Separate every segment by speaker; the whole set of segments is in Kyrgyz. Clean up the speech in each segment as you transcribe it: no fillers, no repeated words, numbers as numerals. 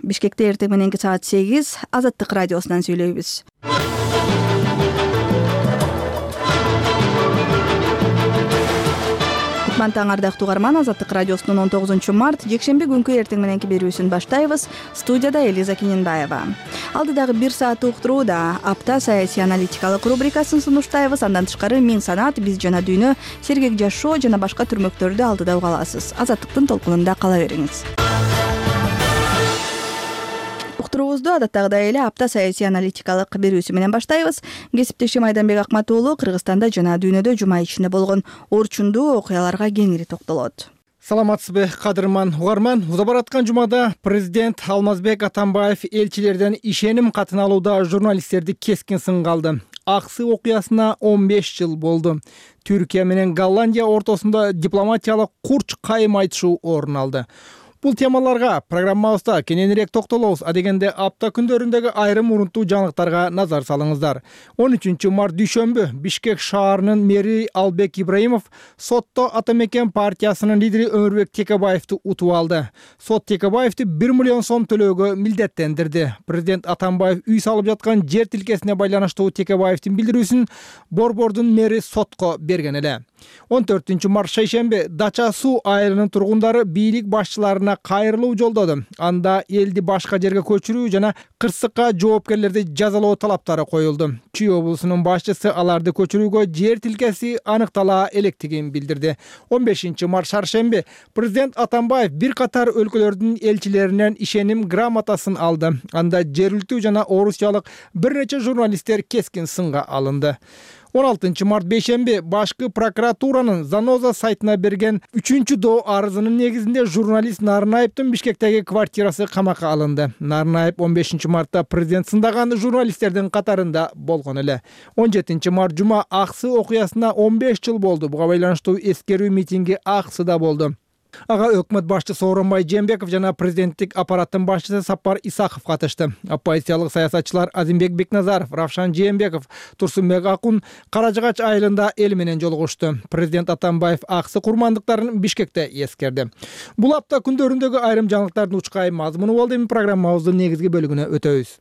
Speaker 1: Бишкекте эртең мененки саат 8 Азаттык радиосунан сүйлөйбүз. Таң ардактуу угарман, Азаттык радиосунун 19 март жекшемби күнкү эртең мененки берүүсүн баштайбыз. Студияда Элиза Киненбаева. Алдыдагы 1 сааттык уктурууда апта саясий аналитикалык рубрикасын сунуштайбыз. Андан тышкары Мен санаат, биз жана дүйнө, сергек жашоо жана башка түрмөктөрдү алдыда уга аласыз. Азаттыктын толкунунда кала бериңиз. Уктуруубузду адаттагыдай эле апта саясий аналитикалык берүүсү менен баштайбыз. Кесиптешим Айданбек Акматуулу Кыргызстанда жана дүйнөдө жума ичинде болгон орчундуу окуяларга кеңири токтолот.
Speaker 2: Саламатсызбы, кадырман угарман. Уза бараткан жумада президент Алмазбек Атамбаев элчилерден ишеним катын алууда журналисттерди кескин сынга алды. Аксы окуясына 15 жыл болду. Түркия менен Голландия ортосунда дипломатиялык курч кайым айтышуу орун алды. Бул темаларга программабызда кененирээк токтолобуз. Адегенде апта күндөрүндөгү айрым урунттуу жаңылыктарга назар салыңыздар. 13 март дүйшөмбү Бишкек шаарынын мэри Албек Ибраимов сотто Атамекен партиясынын лидери Өмүрбек Текебаевди утуп алды. Сот Текебаевди 1 миллион сом төлөөгө милдеттендирди. Президент Атамбаев үй салып жаткан жер тилкесине байланыштуу Текебаевдин билдирүүсүн Борбордун мэри сотко берген эле. 14 март шейшемби Дача суу айылынын тургундары бийлик башчыларына кайрылуу жолдоду. Анда элди башка жерге көчүрүү жана кырсыкка жоопкерлерди жазалоо талаптары коюлду. Чүй облусунун башчысы аларды көчүрүүгө жер тилкеси аныктала электигин билдирди. 15 март шаршемби президент Атамбаев бир катар өлкөлөрдүн элчилеринен ишеним грамотасын алды. Анда жергиликтүү жана орусиялык бир нече журналисттер кескин сынга алынды. 16 март бейшемби башкы прокуратуранын Заноза сайтына берген 3-доо арызынын негизинде журналист Нарынаевдин Бишкектеги квартирасы камакка алынды. Нарынаев 15 мартта президент сындаган журналисттердин катарында болгон эле. 17 март жума Аксы окуясына 15 жыл болду. Буга байланыштуу эскерүү митинги Аксыда болду. Ага өкмөт башчысы Сооронбай Жээнбеков жана президенттик аппараттын башчысы Сапар Исаков катышты. Оппозициялык саясатчылар Азимбек Бекназаров, Равшан Жээнбеков, Турсунбек Акун Каражыгач айылында эл менен жолугушту. Президент Атамбаев Аксы курмандыктарын Бишкекте эскерди. Бул апта күндөрүндөгү айрым жаңылыктардын учкай мазмуну болду. Эми программабыздын негизги бөлүгүнө өтөбүз.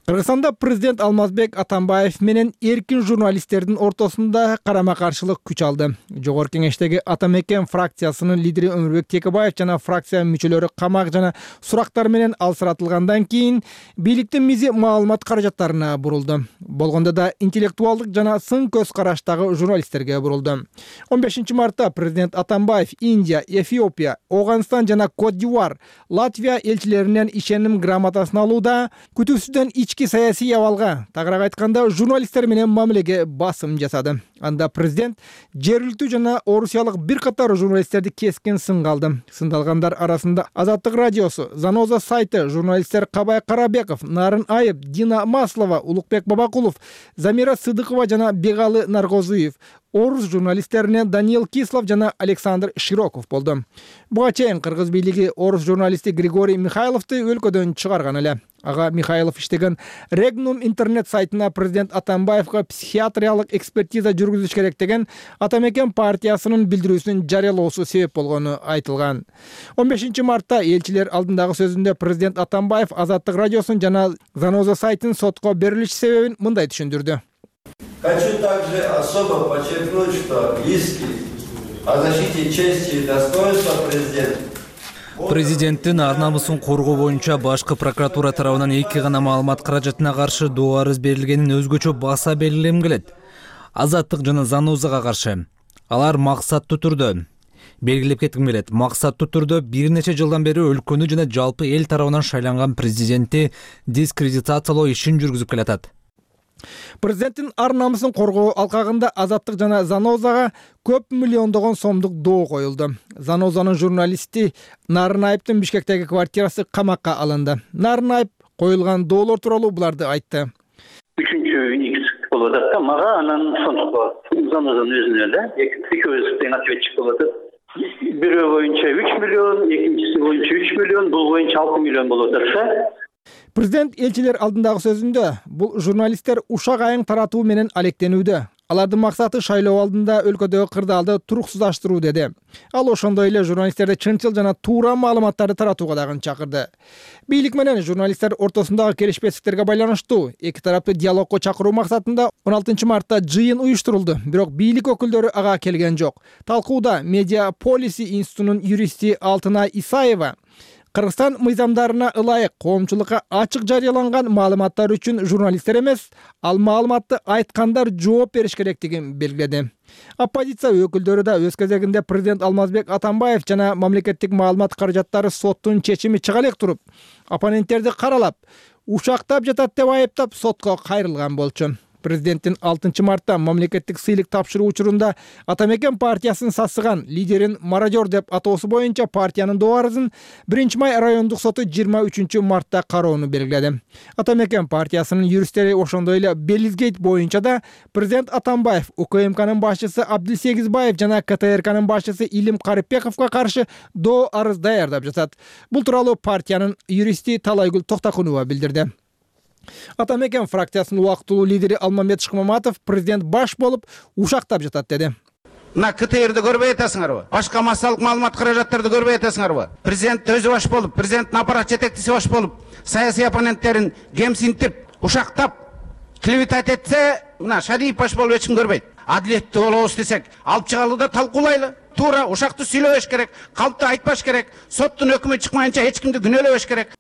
Speaker 2: Кыргызстанда президент Алмазбек Атамбаев менен эркин журналисттердин ортосунда карама-каршылык күч алды. Жогорку кеңештеги Атамекен фракциясынын лидери Өмүрбек Текебаев жана фракция мүчөлөрү камак жана сурактар менен алсыратылгандан кийин бийликтин мизи маалымат каражаттарына бурулду. Болгондо да интеллектуалдык жана сын көз караштагы журналисттерге бурулду. 15 мартта президент Атамбаев Индия, Эфиопия, Оганстан жана Кот-д'Ивуар, Латвия элчилеринен ишеним грамотасын алууда күтүүсүздөн ички саясий абалга, тагыраак айтканда журналисттер менен мамилеге басым жасады. Анда президент жергиликтүү жана орусиялык бир катар журналисттерди кескин сынга алды. Сындалгандар арасында Азаттык радиосу, Заноза сайты, журналисттер Кабай Карабеков, Нарын Айып, Дина Маслова, Улукбек Бабакулов, Замира Сыдыкова жана Бегалы Наргозуев, орус журналисттеринен Даниил Кислов жана Александр Широков болду. Буга чейин кыргыз бийлиги орус журналисти Григорий Михайловду өлкөдөн чыгарган эле. Ага Михайлов иштеген Регнум интернет сайтына президент Атамбаевга психиатриялык экспертиза жүргүзүш керек деген Атамекен партиясынын билдирүүсүн жарыялоосу себеп болгону айтылган. 15 мартта элчилер алдындагы сөзүндө президент Атамбаев Азаттык радиосун жана Заноза сайтын сотко берилиш себебин мындай түшүндүрдү.
Speaker 3: Хочу также особо подчеркнуть, что иски о защите чести и достоинства
Speaker 4: президенттин ар-намысын коргоо боюнча башкы прокуратура тарабынан 2 гана маалымат каражатына каршы доо арыз берилгенин өзгөчө баса белгилегим келет. Азаттык жана Занозага каршы. Алар максаттуу түрдө белгилеп кетким келет. Максаттуу түрдө бир нече жылдан бери өлкөнү жана жалпы эл тарабынан шайланган президентти дискредитациялоо ишин жүргүзүп келатат.
Speaker 2: Президенттин ар-намысын коргоо алкагында Азаттык жана Занозага көп миллиондогон сомдук доо коюлду. Занозанын журналисти Нарынаевдин Бишкектеги квартирасы камакка алынды. Нарынаев коюлган доолор тууралуу буларды айтты.
Speaker 5: 3-X болуп атат да, мага анан сондук Занозанын өзүнө эле экөөбүз тең ответчик болуп атат. Бирөө боюнча 3 миллион, экинчиси боюнча 3 миллион, бул боюнча 6 миллион болуп атат да.
Speaker 2: Президент элчилер алдындагы сөзүндө бул журналисттер ушак айың таратуу менен алектенүүдө. Алардын максаты шайлоо алдында өлкөдөгү кырдаалды туруксуздаштыруу деди. Ал ошондой эле журналисттерди чынчыл жана туура маалыматтарды таратууга дагы чакырды. Бийлик менен журналисттер ортосундагы келишпестиктерге байланыштуу эки тараптуу диалогко чакыруу максатында 16 мартта жыйын уюштурулду, бирок бийлик өкүлдөрү ага келген жок. Талкууда Медиа Полиси институтунун юристи Алтынай Исаева Кыргызстан мыйзамдарына ылайык коомчулукка ачык жарыяланган маалыматтар үчүн журналисттер эмес, ал маалыматты айткандар жооп бериш керектигин белгиледи. Оппозиция өкүлдөрү да өз кезегинде президент Алмазбек Атамбаев жана мамлекеттик маалымат каражаттары соттун чечими чыга элек туруп, оппоненттерди каралап, ушактап жатат деп айыптап сотко кайрылган болчу. Президенттин 6 мартта мамлекеттик сыйлык тапшыруу учурунда Атамекен партиясын сасыган лидерин мародер деп атоосу боюнча партиянын доо арызын 1-май райондук соту 23 мартта кароону белгиледи. Атамекен партиясынын юристтери ошондой эле Белизгейт боюнча да президент Атамбаев, УКМКнын башчысы Абдылсегизбаев жана КТРКнын башчысы Илим Карипбековго каршы доо арыз даярдап жатат. Бул тууралуу партиянын юристи Талайгүл Токтокунова билдирди. Атамекен фракциясынын убактылуу лидери Алмамбет Шыкмаматов президент баш болуп ушактап жатат деди.
Speaker 6: Мына КТРди көрбөй атасыңарбы? Башка массалык маалымат каражаттарды көрбөй атасыңарбы? Президент өзү баш болуп, президенттин аппарат жетекчиси баш болуп, саясий оппоненттерин кемсинтип, ушактап, клеветать этсе, мына Шадиев баш болуп эч ким көрбөйт. Адилеттүү болобуз десек, алып чыгалы да талкуулайлы. Туура ушакты сүйлөбөш керек, калпты айтпаш керек, соттун өкүмү чыкмайынча эч кимди күнөөлөбөш керек.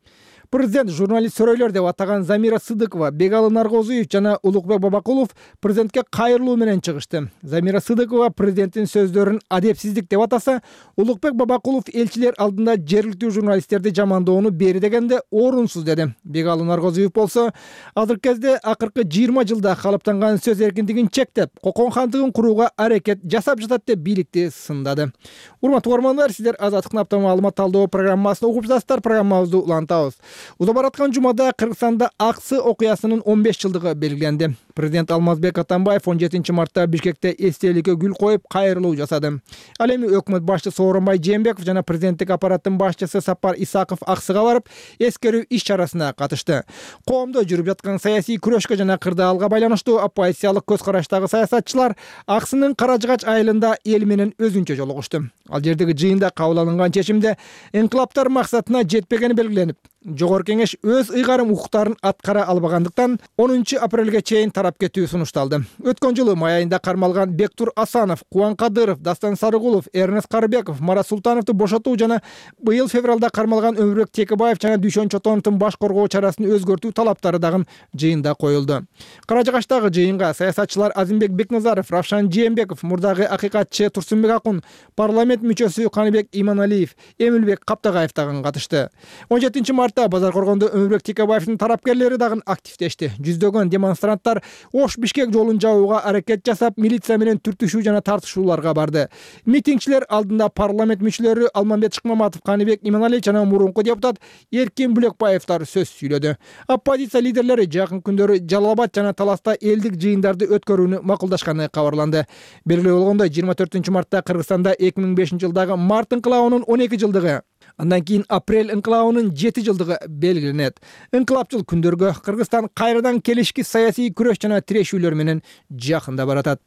Speaker 2: Президент журналист сөрөйлөр деп атаган Замира Сыдыкова, Бегалы Наргозуев жана Улукбек Бабакулов президентке кайрылуу менен чыгышты. Замира Сыдыкова президенттин сөздөрүн адепсиздик деп атаса, Улукбек Бабакулов элчилер алдында жергиликтүү журналисттерди жамандоону бери дегенде орунсуз деди. Бегалы Наргозуев болсо, азыркы кезде акыркы 20 жылда калыптанган сөз эркиндигин чектеп, кокон хандыгын курууга аракет жасап жатат деп бийликти сындады. Урматтуу көрөрмандар, сиздер Азаттыктын апта маалымат талдоо программасын угуп жатасыздар. Программабызды улантабыз. Уза бараткан жумада Кыргызстанда Аксы окуясынын 15 жылдыгы белгиленди. Президент Алмазбек Атамбаев 17 мартта Бишкекте эстеликке гүл коюп кайрылуу жасады. Ал эми өкмөт башчысы Сооронбай Жээнбеков жана президенттик аппараттын башчысы Сапар Исаков Аксыга барып, эскерүү иш чарасына катышты. Коомдо жүрүп жаткан саясий күрөшкө жана кырдаалга байланыштуу оппозициялык көз караштагы саясатчылар Аксынын Каражыгач айылында эл менен өзүнчө жолугушту. Ал жердеги жыйында кабыл алынган чечимде инкылаптар максатына жетпегени белгиленип, Жогорку Кеңеш өз ыйгарым укуктарын аткара албагандыктан 10 апрелге чейин тарап кетүү сунушталды. Өткөн жылы май айында кармалган Бектур Асанов, Кубан Кадыров, Дастан Сарыгулов, Эрнест Карыбеков, Марат Султановду бошотуу жана быйыл февралда кармалган Өмүрбек Текебаев жана Дүйшөн Чотоновдун баш коргоо чарасын өзгөртүү талаптары дагы жыйында коюлду. Каражыгачтагы жыйынга саясатчылар Азимбек Бекназаров, Равшан Жээнбеков, мурдагы акыйкатчы Турсунбек Акун, парламент мүчөсү Каныбек Иманалиев, Эмилбек Каптагаев дагы катышты. 17 мартта Базар Коргондо Өмүрбек Текебаевдин тарапкерлери дагы активдешти. Жүздөгөн демонстранттар Ош-Бишкек жолун жабууга аракет жасап, милиция менен түртүшүү жана тартышууларга барды. Митингчилер алдында парламент мүчөлөрү Алмамбет Шыкмаматов, Каныбек Иманалиев жана мурунку депутат Эркин Бүлөкбаевдар сөз сүйлөдү. Оппозиция лидерлери жакын күндөрү Жалал Абад жана Таласта элдик жыйындарды өткөрүүнү макулдашканы кабарланды. Белгилүү болгондой, 24 мартта Кыргызстанда 2005 жылдагы март инкылабынын 12 жылдыгы, андан кийин апрель инкылабынын 7 жылдыгы белгиленет. Инкылапчыл күндөргө Кыргызстан кайрадан келишки саясий күрөш жана тирешүүлөр менен жакында баратат.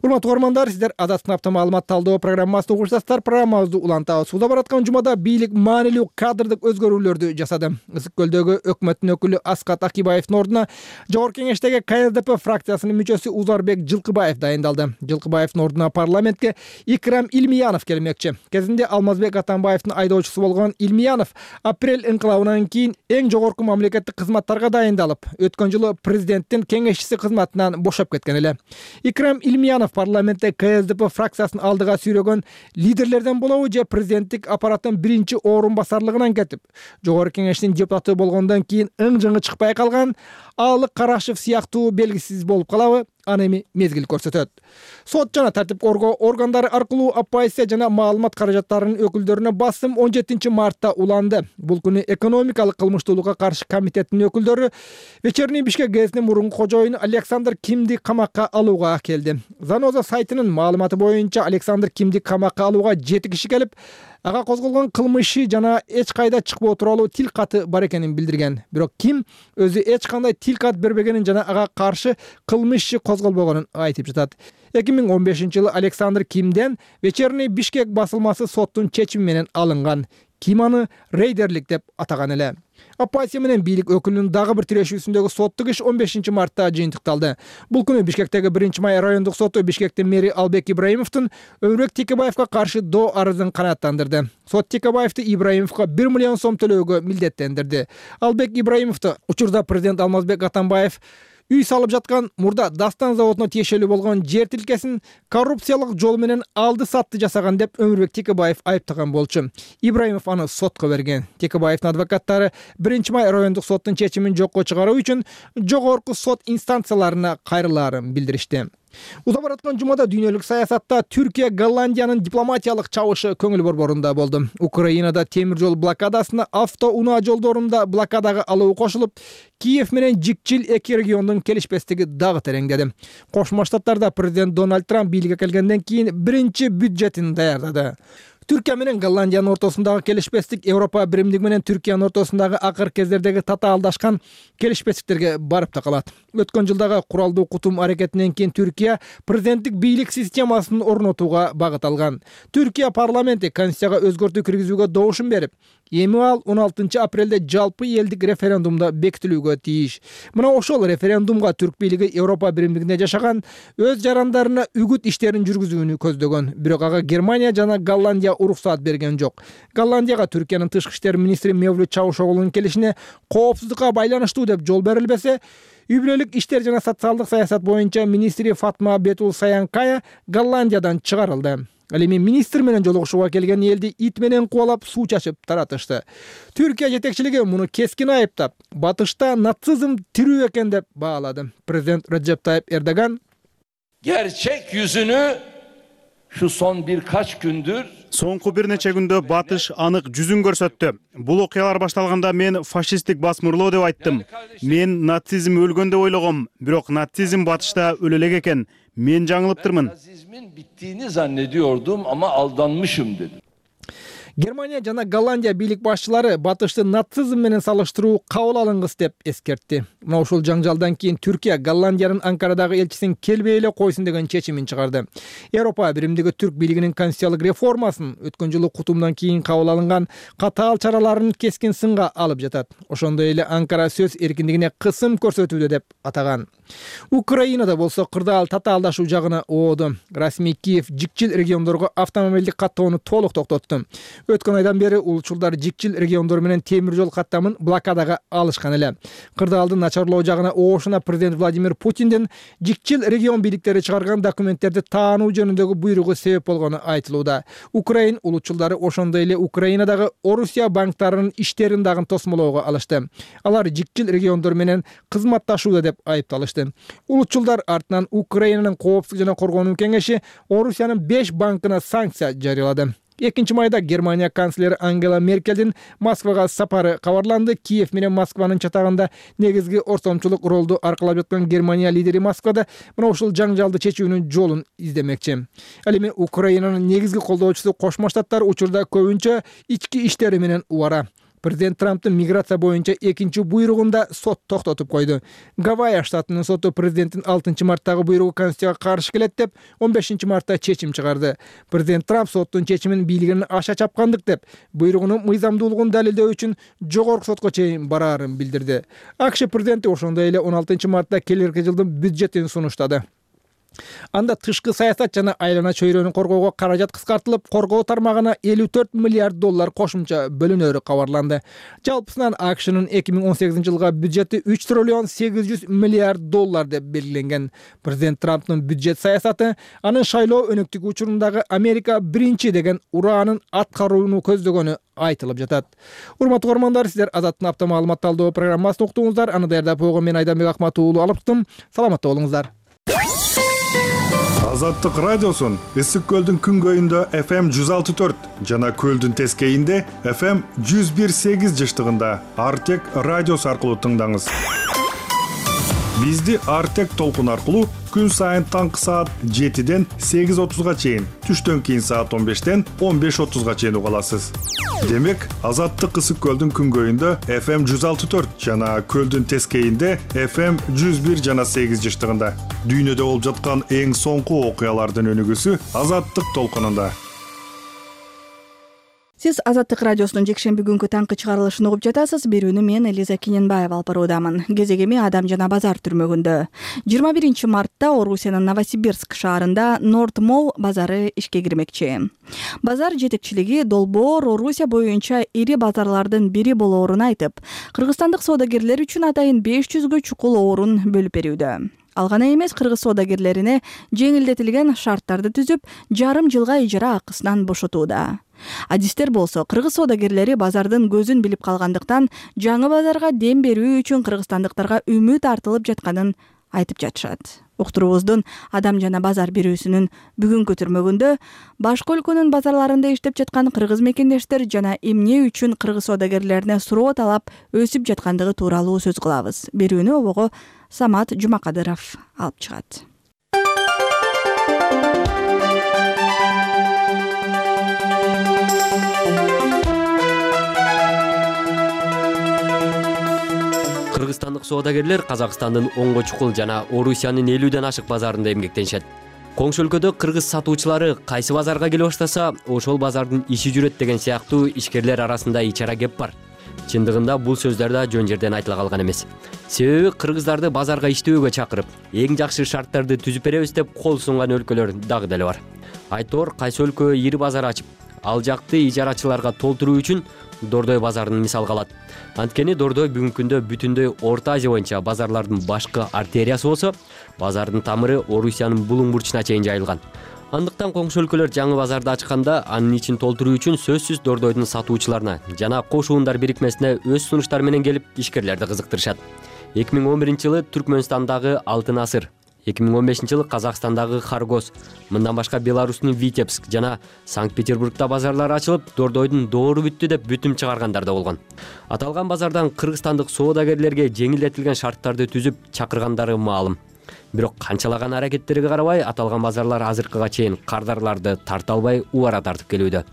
Speaker 2: Урматтуу көрөрмандар, сиздер Азаттыктын апта маалымат талдоо программасын угуп жатасыздар. Программабызды улантабыз. Уза бараткан жумада бийлик маанилүү кадрдык өзгөрүүлөрдү жасады. Ысык көлдөгү өкмөттүн өкүлү Аскат Акибаевдин ордуна Жогорку Кеңештеги КСДП фракциясынын мүчөсү Узарбек Жылкыбаев дайындалды. Жылкыбаевдин ордуна парламентке Икрам Илмиянов келмекчи. Кезинде Алмазбек Атамбаевдин айдоочусу болгон Илмиянов апрель инкылабынан кийин эң жогорку мамлекеттик кызматтарга дайындалып, өткөн жылы президенттин кеңешчиси кызматынан бошоп кеткен эле. Икрам Илмиянов парламентте КСДП фракциясын алдыга сүйрөгөн лидерлерден болобу же президенттик аппараттын биринчи орун басарлыгынан кетип, Жогорку Кеңештин депутаты болгондон кийин ың-жыңы чыкпай калган Аалык Карашев сыяктуу белгисиз болуп калабы? Аны эми мезгил көрсөтөт. Сот жана тартип коргоо органдары аркылуу оппозиция жана маалымат каражаттарынын өкүлдөрүнө басым 17 мартта уланды. Бул күнү экономикалык кылмыштуулукка каршы комитеттин өкүлдөрү Вечерний Бишкек гезитинин мурунку кожоюну Александр Кимди камакка алууга келди. Заноза сайтынын маалыматы боюнча Александр Кимди камакка алууга 7 киши келип, ага козголгон кылмышы жана эч кайда чыкпоо тууралуу тил каты бар экенин билдирген. Бирок Ким өзү эч кандай тил кат бербегенин жана ага каршы кылмыш иши козголбогонун айтып жатат. 2015-жылы Александр Кимден вечерний Бишкек басылмасы соттун чечими менен алынган. Ким аны рейдерлик деп атаган эле. Оппозиция менен бийлик өкүлүнүн дагы бир тирешүүсүндөгү соттук иш 15-мартта жыйынтыкталды. Бул күнү Бишкектеги 1-май райондук соту Бишкектин мэри Албек Ибраимовдун Өмүрбек Текебаевга каршы доо арызын канааттандырды. Сот Текебаевди Ибраимовго 1 миллион сом төлөөгө милдеттендирди. Албек Ибраимовду учурда президент Алмазбек Атамбаев үй салып жаткан мурда Дастан заводуна тиешелүү болгон жер тилкесин коррупциялык жол менен алды сатты жасаган деп Өмүрбек Текебаев айыптаган болчу. Ибраимов аны сотко берген. Текебаевдин адвокаттары 1-май райондук соттун чечимин жокко чыгаруу үчүн жогорку сот инстанцияларына кайрылаарын билдиришти. Уза бараткан жумада дүйнөлүк саясатта Түркия Голландиянын дипломатиялык чабышы көңүл борборунда болду. Украинада темир жол блокадасына автоунаа жолдорунда блокадага алуу кошулуп, Киев менен Жикчил эки региондун келишпестиги дагы тереңдеди. Кошмо Штаттарда президент Дональд Трамп бийликке келгенден кийин биринчи бюджетин даярдады. Түркия менен Голландиянын ортосундагы келишпестик Европа биримдиги менен Түркиянын ортосундагы акыркы кездердеги татаалдашкан келишпестиктерге барып такалат. Өткөн жылдагы куралдуу кутум аракетинен кийин Түркия президенттик бийлик системасын орнотууга багыт алган. Түркия парламенти конституцияга өзгөртүү киргизүүгө добушун берип, эми ал 16 апрелде жалпы элдик референдумда бекитилүүгө тийиш. Мына ошол референдумга түрк бийлиги Европа биримдигинде жашаган өз жарандарына үгүт иштерин жүргүзүүнү көздөгөн. Бирок ага Германия жана Голландия уруксаат берген жок. Голландияга Түркиянын тышкы иштер министри Мевлют Чавушоглунун келишине коопсуздукка байланыштуу деп жол берилбесе, үй бүлөлүк иштер жана социалдык саясат боюнча министри Фатма Бетул Саянкая Голландиядан чыгарылды. Ал эми министр менен жолугушууга келген элди ит менен кубалап суу чачып таратышты. Түркия жетекчилиги муну кескин айыптап, батышта нацизм тирүү экен деп баалады. Президент Реджеп Тайип Эрдоган
Speaker 7: gerçek yüzünü şu son birkaç gündür
Speaker 8: соңку бир нече күндө батыш анык жүзүн көрсөттү. Бул окуялар башталганда мен фашисттик басмырлоо деп айттым. Мен нацизм өлгөн деп ойлогом, бирок нацизм батышта өлө элек экен. Men жаңылыптырмын.
Speaker 7: Nazizmin bittiğini zannediyordum ama aldanmışım dedim.
Speaker 2: Германия жана Голландия бийлик башчылары батышты нацизм менен салыштыруу кабыл алынгыс деп эскертти. Мына ушул жаңжалдан кийин Түркия Голландиянын Анкарадагы элчисин келбей эле койсун деген чечимин чыгарды. Европа биримдиги түрк бийлигинин конституциялык реформасын өткөн жылы кутумдан кийин кабыл алынган катаал чараларын кескин сынга алып жатат. Ошондой эле Анкара сөз эркиндигине кысым көрсөтүүдө деп атаган. Украинада болсо кырдаал татаалдашуу жагына ооду. Расмий Киев Жикчил региондорго автомобилдик каттоону толук токтотту. Өткөн айдан бери улчулдар Жикчил региондору менен темир жол каттамын блокадага алышкан эле. Кырдаалдын начарлоо жагына оошуна президент Владимир Путиндин Жикчил регион бийликтери чыгарган документтерди таануу жөнүндөгү буйругу себеп болгону айтылууда. Украин улчулдары ошондой эле Украинадагы Орусия банктарынын иштерин дагы тосмолоого алышты. Алар Жикчил региондору менен кызматташууда деп айыпталышты. Улчулдар артынан Украинанын коопсуздук жана коргонуу кеңеши Орусиянын 5 банкына санкция жарыялады. 2-майда Германия канцлери Ангела Меркелдин Москвага сапары кабарланды. Киев менен Москванын чатагында негизги ортомчулук ролду аркалап жаткан Германия лидери Москвада мына ушул жаңжалды чечүүнүн жолун издемекчи. Ал эми Украинанын негизги колдоочусу Кошмо Штаттар учурда көбүнчө ички иштери менен убара. Президент Трамптын миграция боюнча экинчи буйругунда сот токтотуп койду. Гавайя штатынын соту президенттин 6-марттагы буйругу конституцияга каршы келет деп 15-мартта чечим чыгарды. Президент Трамп соттун чечимин бийлигинин аша чапкандык деп буйругунун мыйзамдуулугун далилдөө үчүн жогорку сотко чейин бараарын билдирди. АКШ президенти ошондой эле 16-мартта келерки жылдын бюджетин сунуштады. Анда тышкы саясат жана айлана чөйрөнү коргоого каражат кыскартылып, коргоо тармагына 54 миллиард доллар кошумча бөлүнөрү кабарланды. Жалпысынан АКШнын 2018-жылга бюджети 3 триллион 800 миллиард доллар деп белгиленген. Президент Трамптын бюджет саясаты анын шайлоо өнөктүгү учурундагы Америка биринчи деген ураанын аткарууну көздөгөнү айтылып жатат. Урматтуу көрөрмандар, сиздер Азаттын апта маалымат талдоо программасын уктуңуздар. Аны даярдап койгон мен Айданбек Акмат уулу алыптым. Саламатта болуңуздар.
Speaker 9: Азаттык радиосун Ысык көлдүн күнгөйүндө FM 106.4 жана көлдүн тескейинде FM 101.8 жыштыгында Артек радиосу аркылуу тыңдаңыз. Бизди Артек толкун аркылуу күн сайын таңкы саат 7ден 8:30 чейин, түштөн кийин саат 15ден 15:30 чейин уга аласыз. Демек, Азаттык ысык көлдүн күнгөйүндө FM 164 жана көлдүн тескейинде FM 101 жана 8 жыштыгында. Дүйнөдө болуп жаткан эң соңку окуялардын өнүгүүсү Азаттык толкунунда.
Speaker 1: Сиз Азаттык радиосунун жекшемби күнгү таңкы чыгарылышын угуп жатасыз. Берүүнү мен Элиза Киненбаева алып баруудамын. Кезегеми Адам жана базар түрмөгүндө. 21 мартта Орусиянын Новосибирск шаарында Норд Молл базары ишке кирмекчи. Базар жетекчилиги долбоор Орусия боюнча ири базарлардын бири болоорун айтып, кыргызстандык соодагерлер үчүн атайын 500гө чукул орун бөлүп берүүдө. Ал гана эмес, кыргыз соодагерлерине жеңилдетилген шарттарды түзүп, жарым жылга ижара акысынан бошотууда. Адистер болсо, кыргыз соодагерлери базардын көзүн билип калгандыктан, жаңы базарга дем берүү үчүн кыргызстандыктарга үмүт артылып жатканын айтып жатышат. Уктуруубуздун Адам жана базар берүүсүнүн бүгүнкү түрмөгүндө башка өлкөнүн базарларында иштеп жаткан кыргыз мекендештер жана эмне үчүн кыргыз соодагерлерине суроо талап өсүп жаткандыгы тууралуу сөз кылабыз. Берүүнү обого Самат Жумакадыров алып чыгат.
Speaker 10: Кыргызстандык соодагерлер Казакстандын 10 чукул жана Орусиянын 50ден ашык базарында эмгектенишет. Коңшу өлкөдө кыргыз сатуучулары кайсы базарга келе баштаса, ошол базардын иши жүрөт деген сыяктуу ишкерлер арасында ичара кеп бар. Чындыгында бул сөздөр да жөн жерден айтыла калган эмес. Себеби кыргыздарды базарга иштөөгө чакырып, эң жакшы шарттарды түзүп беребиз деп кол сунган өлкөлөр дагы деле бар. Айтор кайсы өлкө ири базар ачып, ал жакты ижарачыларга толтуруу үчүн Дордой базарын мисалга алат. Анткени Дордой бүгүнкү күндө бүтүндөй Орто Азия боюнча базарлардын башкы артериясы болсо, базардын тамыры Орусиянын булуң бурчуна чейин жайылган. Андыктан коңшу өлкөлөр жаңы базарды ачканда анын ичин толтуруу үчүн сөзсүз Дордойдун сатуучуларына жана кошуундар бирикмесине өз сунуштары менен келип ишкерлерди кызыктырышат. 2011-жылы Түркмөнстандагы Алтын Асыр, 2015-жылы Казакстандагы Харгос, мындан башка Беларустун Витебск жана Санкт-Петербургда базарлар ачылып, Дордойдун доору бүттү деп бүтүм чыгаргандар да болгон. Аталган базардан кыргызстандык соодагерлерге жеңилдетилген шарттарды түзүп чакыргандары маалым. Бирок канчалаган аракеттерге карабай, аталган базарлар азыркыга чейин кардарларды тарта албай убара тартып келүүдө.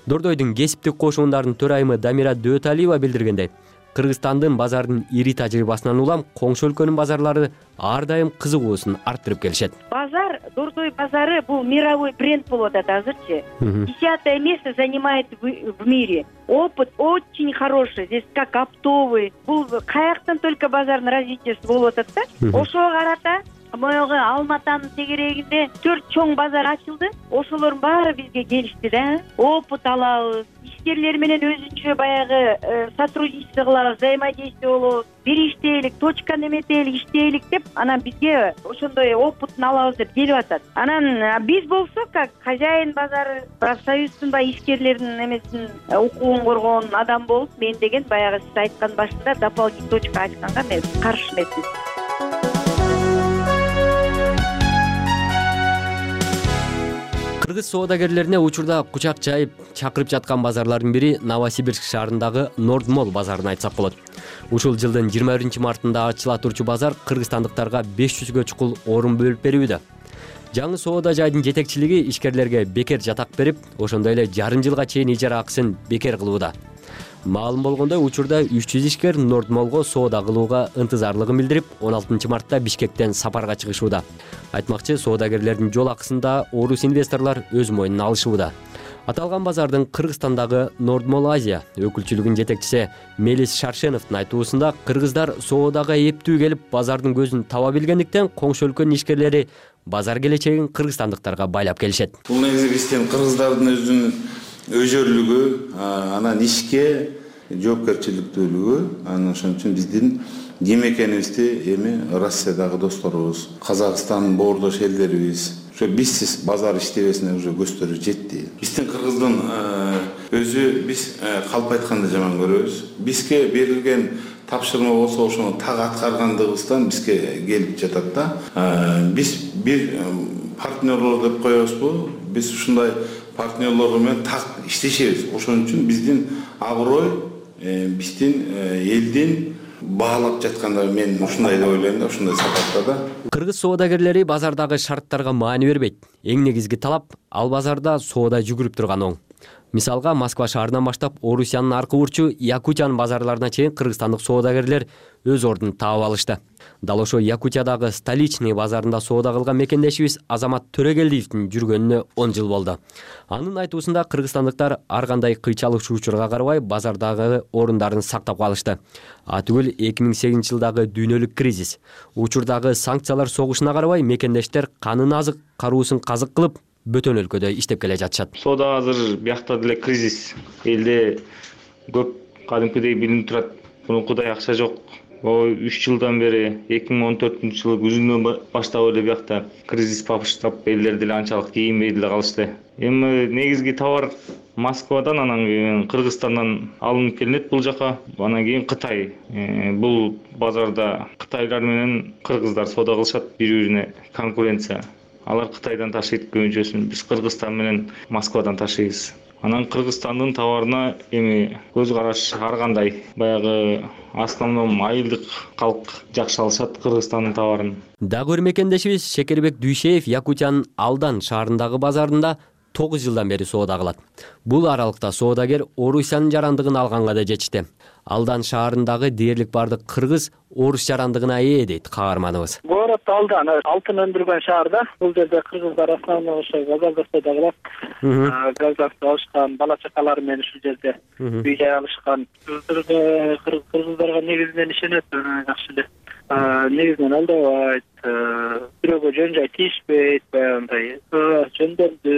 Speaker 10: Дордойдун кесиптик кошуундардын төрайымы Дамира Дөталиева билдиргендей, Кыргызстандын базардын ири тажрыйбасынан улам коңшу өлкөнүн базарлары ар дайым кызыгуусун арттырып келишет.
Speaker 11: Базар, Дордой базары бул мировой бренд болуп атат азырчы. 10-е место занимает в мире. Опыт очень хороший. Здесь как оптовый. Бул каяктан только базардын развитиясы болуп атат да. Ошого карата моего Алматанын тегерегинде 4 чоң базар ачылды. Ошолордун баары бизге келишти да. Опыт алабыз. Ишкерлер менен өзүнчө баягы сотрудничество кылабыз, взаимодействие болобуз. Бир иштейлик, точка неметелик иштейлик деп, анан бизге ошондой опытын алабыз деп келип атат. Анан биз болсок, как хозяин базары, профсоюздун ишкерлердин эмесин укугун коргоон адам болуп, мен деген баягы сиз айткан башында дополнительный точка ачканга мен каршы эмесмин.
Speaker 10: Кыргыз соодагерлерине учурда кучак жайып чакырып жаткан базарлардын бири Новосибирск шаарындагы Норд Молл базарын айтсак болот. Ушул жылдын 21 мартында ачыла турчу базар кыргызстандыктарга 500гө чукул орун бөлүп берүүдө. Жаңы соода жайдын жетекчилиги ишкерлерге бекер жатак берип, ошондой эле жарым жылга чейин ижара акысын бекер кылууда. Маалым болгондой, учурда 300 ишкер Норд Моллго соода кылууга ынтызарлыгын билдирип, 16 мартта Бишкектен сапарга чыгышууда. Айтмакчы, соодагерлердин жол акысында орус инвесторлор өз мойнуна алышууда. Аталган базардын Кыргызстандагы Норд Молл Азия өкүлчүлүгүнүн жетекчиси Мелис Шаршеновдун айтуусунда, кыргыздар соодага эптүү келип, базардын көзүн таба билгендиктен коңшу өлкөнүн ишкерлери базар келечегин кыргызстандыктарга байлап келишет.
Speaker 12: Бул негизи биздин кыргыздардын өзүнүн өзөрлүгү, анан ишке жоопкерчиликтүүлүгү, анан ошон үчүн биздин ким экенибизди эми Россиядагы досторубуз, Казакстан боордош элдерибиз ошо бизсиз базар иштебесине уже көздөрү жетти. Биздин кыргыздын өзү биз калп айтканды жаман көрөбүз. Бизге берилген тапшырма болсо ошону так аткаргандыгыбыздан бизге келип жатат да. Биз бир партнерлор деп коебузбу? Биз ушундай партнерлор менен так иштешебиз. Ошон үчүн биздин аброй, биздин элдин баалап жатканда мен ушундай деп ойлойм да, ушундай сапатта да.
Speaker 10: Кыргыз соодагерлери базардагы шарттарга маани бербейт. Эң негизги талап ал базарда соода жүгүрүп турган оң. Мисалга, Москва шаарынан баштап Орусиянын аркы бурчу Якутиянын базарларына чейин кыргызстандык соодагерлер өз ордун таап алышты. Дал ошо Якутиядагы Столичный базарында соода кылган мекендешибиз Азамат Төрөгелдиевдин жүргөнүнө 10 жыл болду. Анын айтуусунда кыргызстандыктар ар кандай кыйчалык-учурга карабай базардагы орундарын сактап калышты. Түгүл 2008 жылдагы дүйнөлүк кризис, учурдагы санкциялар согушуна карабай мекендештер канын азык, каруусун казык кылып бөтөн өлкөдө иштеп келе жатышат.
Speaker 13: Соода азыр биякта деле кризис. Элде көп кадимкидей билинип турат. Мурункудай акча жок. 3 жылдан бери 2014-жылы күзүнөн баштап эле биякта кризис баштап элдер деле анчалык кийинбей деле калышты. Эми негизги товар Москвадан, анан кийин Кыргызстандан алынып келинет бул жака. Анан кийин Кытай. Бул базарда кытайлар менен кыргыздар соода кылышат, бири-бирине конкуренция. Алар Кытайдан ташыйт көбүнчөсүн, биз Кыргызстан менен Москвадан ташыйбыз. Анан Кыргызстандын товарына эми көз караш ар кандай. Баягы основном айылдык калк жакшы алышат Кыргызстандын товарын.
Speaker 10: Дагы бир мекендешибиз Шекербек Дүйшеев Якутиянын Алдан шаарындагы базарында 9 жылдан бери соода кылат. Бул аралыкта соодагер Орусиянын жарандыгын алганга да жетишти. Алдан шаарындагы дээрлик бардык кыргыз орус жарандыгына ээ дейт каарманыбыз.
Speaker 14: Город Алдан алтын өндүргөн шаарда. Бул жерде кыргыздар основной ошо газда соода кылат. Газда алышкан бала чакалары менен ушул жерде үй жай алышкан. Кыргыздарга негизинен ишенет, жакшы эле. Негизинен алдабайт, бирөөгө жөн жай тийишпейт, баягындай жөндөмдү,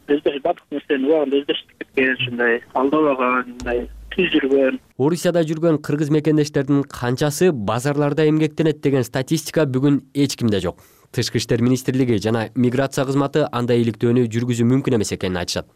Speaker 14: өздөш бардык нерсени убагында өздөштүп кеткен, ушундай алдабагандай жүргөн.
Speaker 10: Орусияда жүргөн кыргыз мекендештердин канчасы базарларда эмгектенет деген статистика бүгүн эч кимде жок. Тышкы иштер министрлиги жана миграция кызматы андай иликтөөнү жүргүзүү мүмкүн эмес экенин айтышат.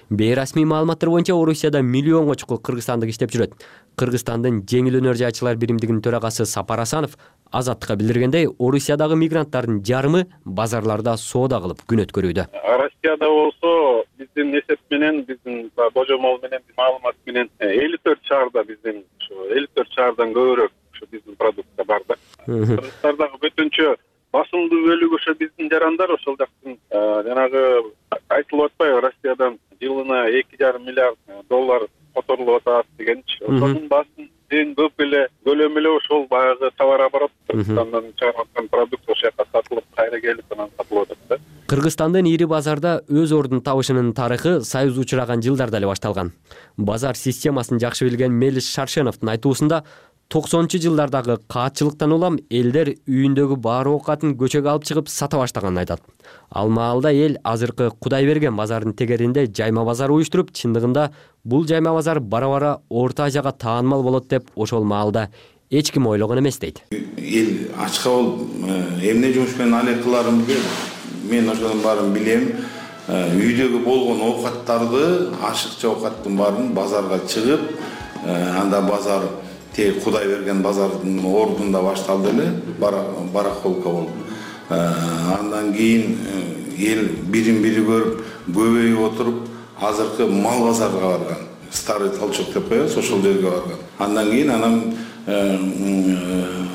Speaker 10: Бейрасмий маалыматтар боюнча Орусияда миллионго чукул кыргызстандык иштеп жүрөт. Кыргызстандын жеңил өнөр жайчылар биримдигинин төрагасы Сапар Асанов Азаттыкка билдиргендей, Орусиядагы мигранттардын жарымы базарларда соода кылып күн өткөрүүдө.
Speaker 15: Россияда болсо биздин эсеп менен, биздин божомол менен, маалымат менен 54 шаарда биздин 54 шаардан көбүрөөк биздин продукция бар да. Кыргызстандагы бүтүнчө басымдуу бөлүгү ошо биздин жарандар, ошол жактын жанагы айтылып атпайбы, Россиядан жылына 2,5 миллиард доллар которулуп атат дегенчи. Ошонун басым эң көп эле көлөмү эле ошол баягы товар оборот, Кыргызстандан чыгарылган продукт ошол жака сатылып, кайра келип анан сатылып атат да.
Speaker 10: Кыргызстандын ири базарда өз ордун табышынын тарыхы Союз учураган жылдарда эле башталган. Базар системасын жакшы билген Мелис Шаршеновдун айтуусунда 90-жылдардагы каатчылыктан улам элдер үйүндөгү баары оокатын көчөгө алып чыгып сата баштаганын айтат. Ал маалда эл азыркы Кудайберген базарынын тегеринде жайма базар уюштуруп, чындыгында бул жайма базар бара-бара Орто Азияга таанымал болот деп ошол маалда эч ким ойлогон эмес дейт.
Speaker 12: Эл ачка болуп эмне жумуш менен алек кыларымды мен ошонун баарын билем. Үйдөгү болгон оокаттарды, ашыкча оокаттын баарын базарга чыгып, анда базар Кудайберген базардын ордунда башталды эле, барахолка болуп. Андан кийин эл бирин-бири көрүп, көбөйүп отуруп, азыркы мал базарга барган. Старый Толчок деп коебуз, ошол жерге барган. Андан кийин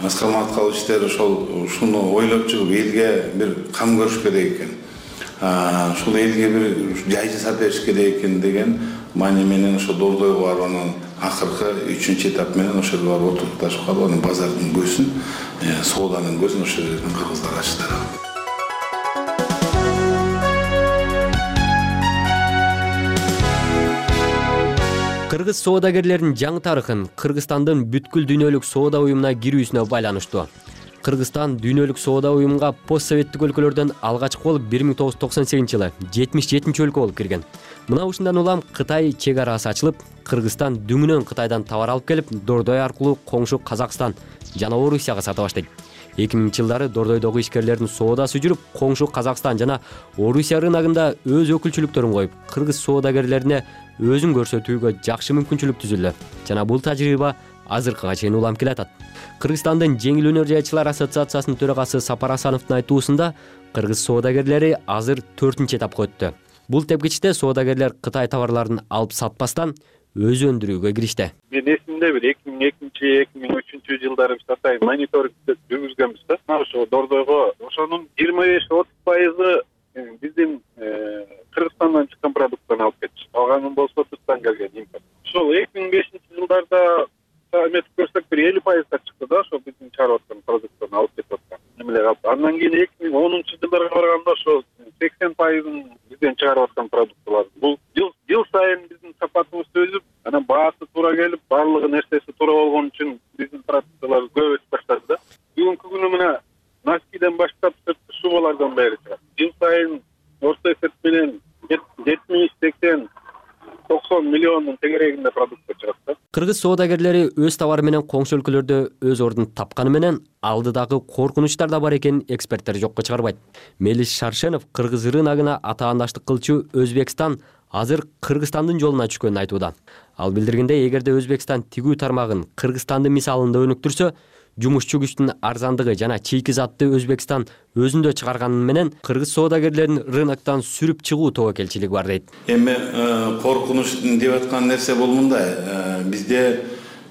Speaker 12: Аскар Маткалычтер ушуну ойлоп чыгып, элге бир кам көрүш керек экен. Ушул элге бир жай жасап бериш керек экен деген маани менен ошо Дордойго барып, анан акыркы 3-чү этап менен ошол жерге барып отурупташып калып, анан базардын көзүн, сооданын көзүн ошол жерден кыргыздар ачтыр.
Speaker 10: Кыргыз соодагерлеринин жаңы тарыхын Кыргызстандын бүткүл дүйнөлүк соода уюмуна кирүүсүнө байланыштуу. Кыргызстан дүйнөлүк соода уюмуна постсоветтик өлкөлөрдөн алгачкы болуп 1998-жылы 77-чи өлкө болуп кирген. Мына ушундан улам Кытай чек арасы ачылып, Кыргызстан дүңүнөн Кытайдан товар алып келип, Дордой аркылуу коңшу Казакстан жана Орусияга сата баштайт. 2000-жылдары Дордойдогу ишкерлердин соодасы жүрүп, коңшу Казакстан жана Орусия рыногунда өз өкүлчүлүктөрүн коюп, кыргыз соодагерлерине өзүн көрсөтүүгө жакшы мүмкүнчүлүк түзүлдү. Жана бул тажрыйба азыркыга чейин улам келатат. Кыргызстандын жеңил өнөр жайчылар ассоциациясынын төрагасы Сапар Асановдун айтуусунда, кыргыз соодагерлери азыр 4-этапка өттү. Бул тепкичте соодагерлер Кытай товарларын алып сатпастан өзү өндүрүүгө киришти.
Speaker 15: Мен эсимде бир 2002-2003 жылдары биз атайын мониторинг жүргүзгөнбүз да. Ошо Дордойго ошонун 25-30% биздин Кыргызстандан чыккан продукттан алып кетчү. Калганы болсо тыштан келген импорт. Ошол 2005 жылдарда эметип көрсөк бир 50% чыкты да, ошо биздин чыгарып аткан продукттан алып кетип аткан. Эмеле калды. Андан кийин 2010 жылдарга барганда ошо 80% бизден чыгарып аткан продукттар. Бул жыл сайын биздин сапатыбыз өсүп, анан баасы туура келип, баардыгы нерсеси туура болгон үчүн биздин продукттар көп өсүп баштады да. Бүгүнкү күнү мына носкиден баштап сырткы шубалардан бери чыгат. Жыл сайын орто эсеп менен 70-80-90 миллиондун тегерегинде продукт чыгат да.
Speaker 10: Кыргыз соодагерлери өз товары менен коңшу өлкөлөрдө өз ордун тапканы менен алдыдагы коркунучтар да бар экенин эксперттер жокко чыгарбайт. Мелис Шаршенов кыргыз рыногуна атаандаштык кылчу Өзбекстан азыр Кыргызстандын жолуна түшкөнүн айтууда. Ал билдиргендей, эгерде Өзбекстан тигүү тармагын Кыргызстандын мисалында өнүктүрсө, жумушчу күчтүн арзандыгы жана чийки затты Өзбекстан өзүндө чыгарганы менен кыргыз соодагерлерин рыноктон сүрүп чыгуу тобокелчилиги бар дейт.
Speaker 12: Эми коркунуч деп аткан нерсе бул мындай. Бизде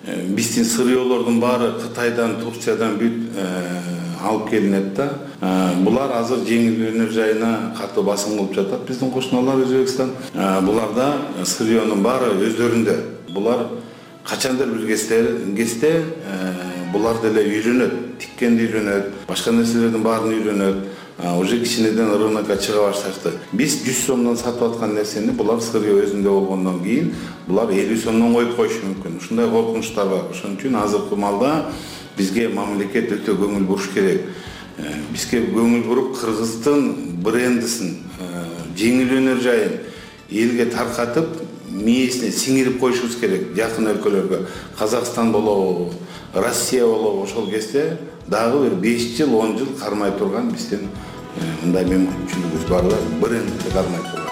Speaker 12: биздин сырьёолордун баары Кытайдан, Турциядан бүт алып келинет да. Булар азыр жеңил өнөр жайына катуу басым кылып жатат. Биздин кошуналар Өзбекстан. Буларда сырьёонун баары өздөрүндө. Булар качандыр бир кезде булар деле үйрөнөт, тиккенди үйрөнөт, башка нерселердин баарын үйрөнөт. Уже кичинеден рынокко чыга башташты. Биз 100 сомдон сатып аткан нерсени булар сырьё өзүндө болгондон кийин булар 50 сомдон коюп коюшу мүмкүн. Ушундай коркунучтар бар. Ошон үчүн азыркы малда бизге мамлекет өтө көңүл буруш керек. Бизге көңүл буруп Кыргыздын брендисин, жеңил өнөр жайын элге таркатып, мээсине сиңирип коюшубуз керек. Жакын өлкөлөргө, Казакстан болобу, Россия болобу, ошол кезде дагы бир 5 жыл, 10 жыл кармай турган биздин мындай мүмкүнчүлүгүбүз бар да, брендти кармай турган.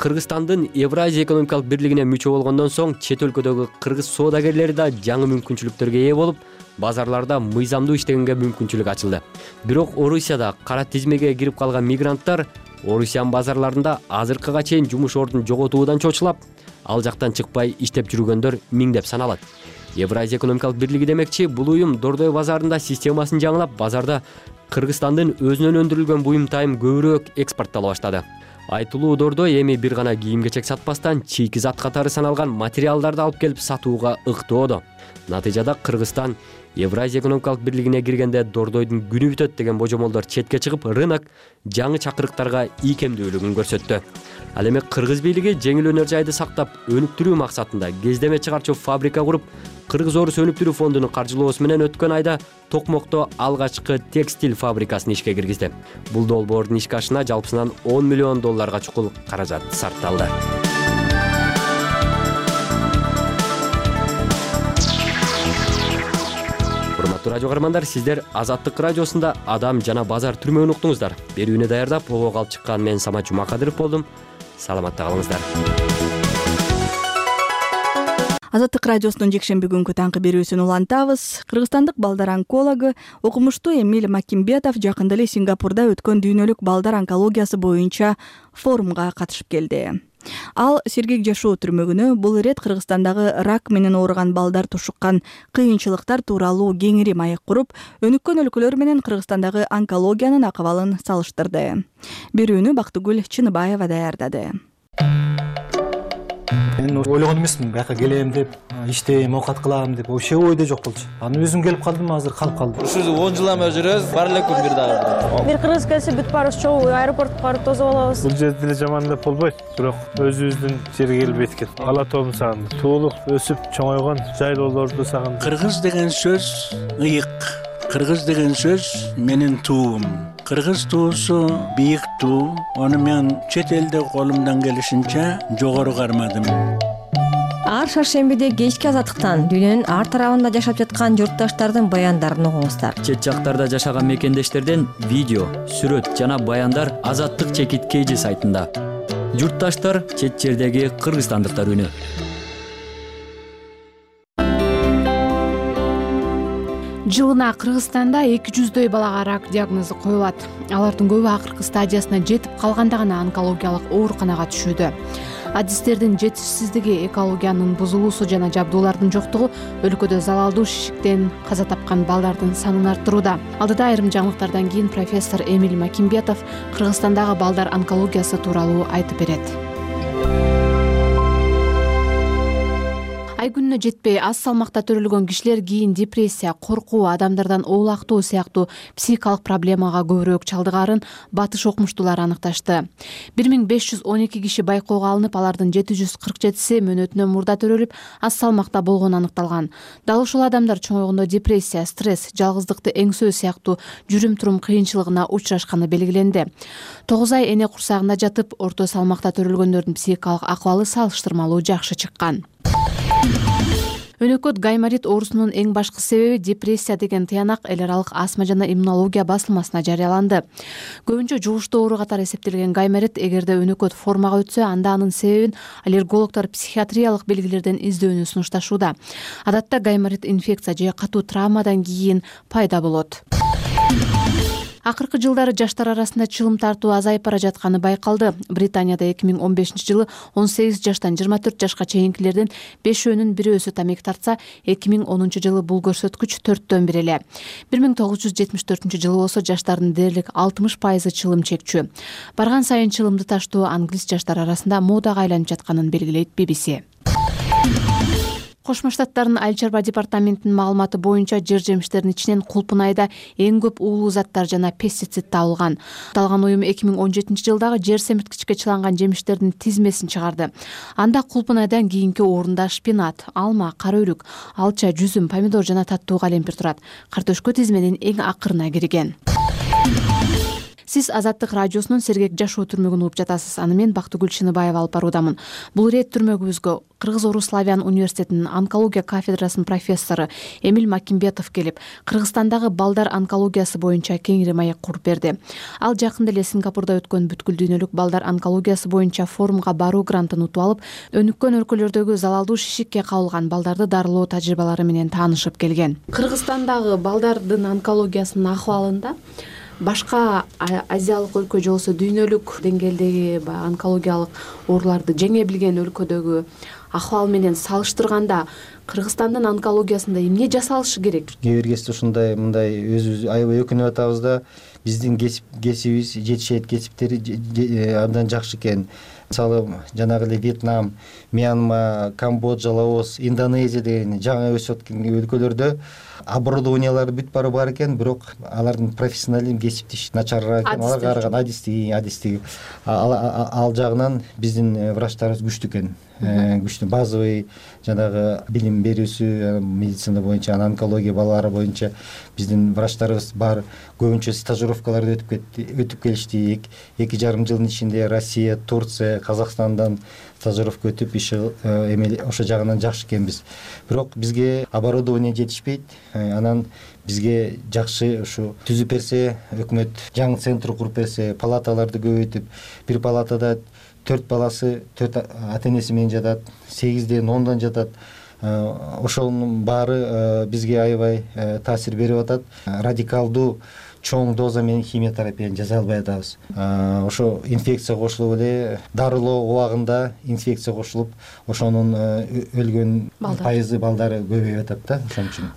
Speaker 10: Кыргызстандын Евразия экономикалык бирлигине мүчө болгондон соң чет өлкөдөгү кыргыз соодагерлери да жаңы мүмкүнчүлүктөргө ээ болуп, базарларда мыйзамдуу иштегенге мүмкүнчүлүк ачылды. Бирок Орусияда кара тизмеге кирип калган мигранттар Орусиянын базарларында азыркыга чейин жумуш ордун жоготуудан чочулап, ал жактан чыкпай иштеп жүргөндөр миңдеп саналат. Евразия экономикалык бирлиги демекчи, бул уюм Дордой базарында системасын жаңылап, базарда Кыргызстандын өзүнөн өндүрүлгөн буюм-тайым көбүрөөк экспорттала баштады. Айтылуу Дордой эми бир гана кийим-кечек сатпастан чийки зат катары саналган материалдарды алып келип сатууга ыктоодо. Натыйжада Кыргызстан Евразия экономикалык бирлигине киргенде Дордойдун күнү бүтөт деген божомолдор четке чыгып, рынок жаңы чакырыктарга ийкемдүүлүгүн көрсөттү. Ал эми кыргыз бийлиги жеңил өнөр жайды сактап, өнүктүрүү максатында кездеме чыгарчу фабрика куруп, Кыргыз-Орус өнүктүрүү фондунун каржылоосу менен өткөн айда Токмокто алгачкы текстиль фабрикасын ишке киргизди. Бул долбоордун ишке ашына жалпысынан $10 миллион чукул каражат сарпталды. Урматтуу радио каармандар, сиздер Азаттык радиосунда Адам жана базар түрмөгүн уктуңуздар. Берүүнү даярдап, ого алып чыккан мен Самат Жумакадыров болдум. Саламатта калыңыздар.
Speaker 1: Азаттык радиосунун жекшемби күнгү таңкы берүүсүн улантабыз. Кыргызстандык балдар онкологу окумуштуу Эмиль Макимбетов жакында эле Сингапурда өткөн дүйнөлүк балдар онкологиясы боюнча форумга катышып келди. Ал сергек жашоо түрмөгүнө бул ирет Кыргызстандагы рак менен ооруган балдар тушуккан кыйынчылыктар тууралуу кеңири маек куруп, өнүккөн өлкөлөр менен Кыргызстандагы онкологиянын акыбалын салыштырды. Берүүнү Бактыгүл Чыныбаева даярдады.
Speaker 16: Мен ойлогон эмесмин, бияка келем деп, иштейм, оокат кылам деп, вообще ойдо жок болчу. Анан өзүм келип калдым, азыр калып калдым.
Speaker 17: Ушу 10 жылдан бери жүрөбүз, бар элекпи бир дагы.
Speaker 18: Бир кыргыз келсе бүт баарыбыз чогуу аэропортко барып тосуп алабыз.
Speaker 19: Бул жерде деле жаман деп болбойт, бирок өзүбүздүн жерге келбейт экен. Ала тообун сагындым. Туулуп, өсүп, чоңойгон жайлоолорду сагындым.
Speaker 20: Кыргыз деген сөз ыйык. Кыргыз деген сөз менин туум. Кыргыз туусу бийик туу. Аны мен чет элде колумдан келишинче жогору кармадым.
Speaker 21: Ар шаршембиде кечки азаттыктан дүйнөнүн ар тарабында жашап жаткан журтташтардын баяндарын угуңуздар.
Speaker 10: Чет жактарда жашаган мекендештерден видео, сүрөт жана баяндар Азаттык чекит KG сайтында. Журтташтар чет жердеги кыргызстандыктар үнү.
Speaker 3: Жылына Кыргызстанда 200дөй балага рак диагнозу коюлат. Алардын көбү акыркы стадиясына жетип калганда гана онкологиялык ооруканага түшүүдө. Адистердин жетишсиздиги, экологиянын бузулуусу жана жабдуулардын жоктугу өлкөдө залалдуу шишиктен каза тапкан балдардын санын арттырууда. Алдыда айрым жаңылыктардан кийин профессор Эмиль Макимбетов Кыргызстандагы балдар онкологиясы тууралуу айтып берет. Ай күнүнө жетпей аз салмакта төрөлгөн кишилер кийин депрессия, коркуу, адамдардан оолактоо сыяктуу психикалык проблемага көбүрөөк чалдыгаарын батыш окумуштуулар аныкташты. 1512 киши байкоого алынып, алардын 747си мөөнөтүнөн мурда төрөлүп, аз салмакта болгону аныкталган. Дал ушул адамдар чоңойгондо депрессия, стресс, жалгыздыкты эңсөө сыяктуу жүрүм-турум кыйынчылыгына учурашканы белгиленди. 9 ай эне курсагында жатып, орто салмакта төрөлгөндөрдүн психикалык акыбалы салыштырмалуу жакшы чыккан. Өнөкөт гайморит оорусунун эң башкы себеби депрессия деген тыянак эл аралык астма жана иммунология басылмасына жарыяланды. Көбүнчө жугуштуу оору катары эсептелген гайморит эгерде өнөкөт формага өтсө, анда анын себебин аллергологдор психиатриялык белгилерден издөөнү сунушташууда. Адатта гайморит инфекция же катуу травмадан кийин пайда болот. Акыркы жылдары жаштар арасында чылым тартуу азайып бара жатканы байкалды. Британияда 2015-жылы 18 жаштан 24 жашка чейинкилердин 5-өнүн 1 тамеки тартса, 2010-жылы бул көрсөткүч 4-төн 1 эле. 1974-жылы болсо жаштардын дээрлик 60% чылым чекчү. Барган сайын чылымды таштоо англис жаштар арасында модага айланып жатканын белгилейт BBC. Кошмо Штаттардын айыл чарба департаментинин маалыматы боюнча жер жемиштердин ичинен кулпун айда эң көп уулуу заттар жана пестицид табылган. Аталган уюм 2017-жылдагы жер семирткичке чыланган жемиштердин тизмесин чыгарды. Анда кулпун айдан кийинки орунда шпинат, алма, кара өрүк, алча, жүзүм, помидор жана таттуу калемпир турат. Картөшкө тизменин эң акырына кирген. Сиз Азаттык радиосунун Сергек жашоо түрмөгүн угуп жатасыз. Аны мен Бактыгүл Чыныбаева алып баруудамын. Бул ирет түрмөгүбүзгө Кыргыз-Орус славян университетинин онкология кафедрасынын профессору Эмиль Макимбетов келип, Кыргызстандагы балдар онкологиясы боюнча кеңири маек куруп берди. Ал жакында эле Сингапурда өткөн бүткүл дүйнөлүк балдар онкологиясы боюнча форумга баруу грантын утуп алып, өнүккөн өлкөлөрдөгү залалдуу шишикке кабылган балдарды дарылоо тажрыйбалары менен таанышып келген. Кыргызстандагы балдардын онкологиясынын акыбалында башка азиялык өлкө же болбосо дүйнөлүк деңгээлдеги онкологиялык ооруларды жеңе билген өлкөдөгү акыбал менен салыштырганда Кыргызстандын онкологиясында эмне жасалышы керек? Кээ бир кезде ушундай мындай өзүбүз аябай өкүнүп атабыз да, биздин кесибибиз, жетишет кесиптери абдан жакшы экен. Мисалы, жанагы эле Вьетнам, Мьянма, Камбоджа, Лаос, Индонезия деген жаңы өсүп аткан өлкөлөрдө оборудованиялары бүт бары бар экен, бирок алардын профессионализм кесиптеш начарыраак экен. Аларга караганда адистиги ал жагынан биздин врачтарыбыз күчтүү экен. Күчтүү базовый жанагы билим берүүсү медицина боюнча, онкология балалары боюнча биздин врачтарыбыз бар. Көбүнчө стажировкаларды өтүп келишти. 2,5 жылдын ичинде Россия, Турция, Казакстандан стажировка өтүп ошо жагынан жакшы экенбиз. Бирок бизге оборудование жетишпейт. Анан бизге жакшы ушу түзүп берсе, өкмөт жаңы центр куруп берсе, палаталарды көбөйтүп, бир палатада 4 баласы 4 ата-энеси менен жатат, 8ден 10дан жатат. Ошонун баары бизге аябай таасир берип атат. Радикалдуу чоң доза менен химиотерапияны жасай албай атабыз. Ошо инфекция кошулуп эле дарылоо убагында инфекция кошулуп, ошонун өлгөн пайызы балдары көбөйүп атат да, ошон үчүн.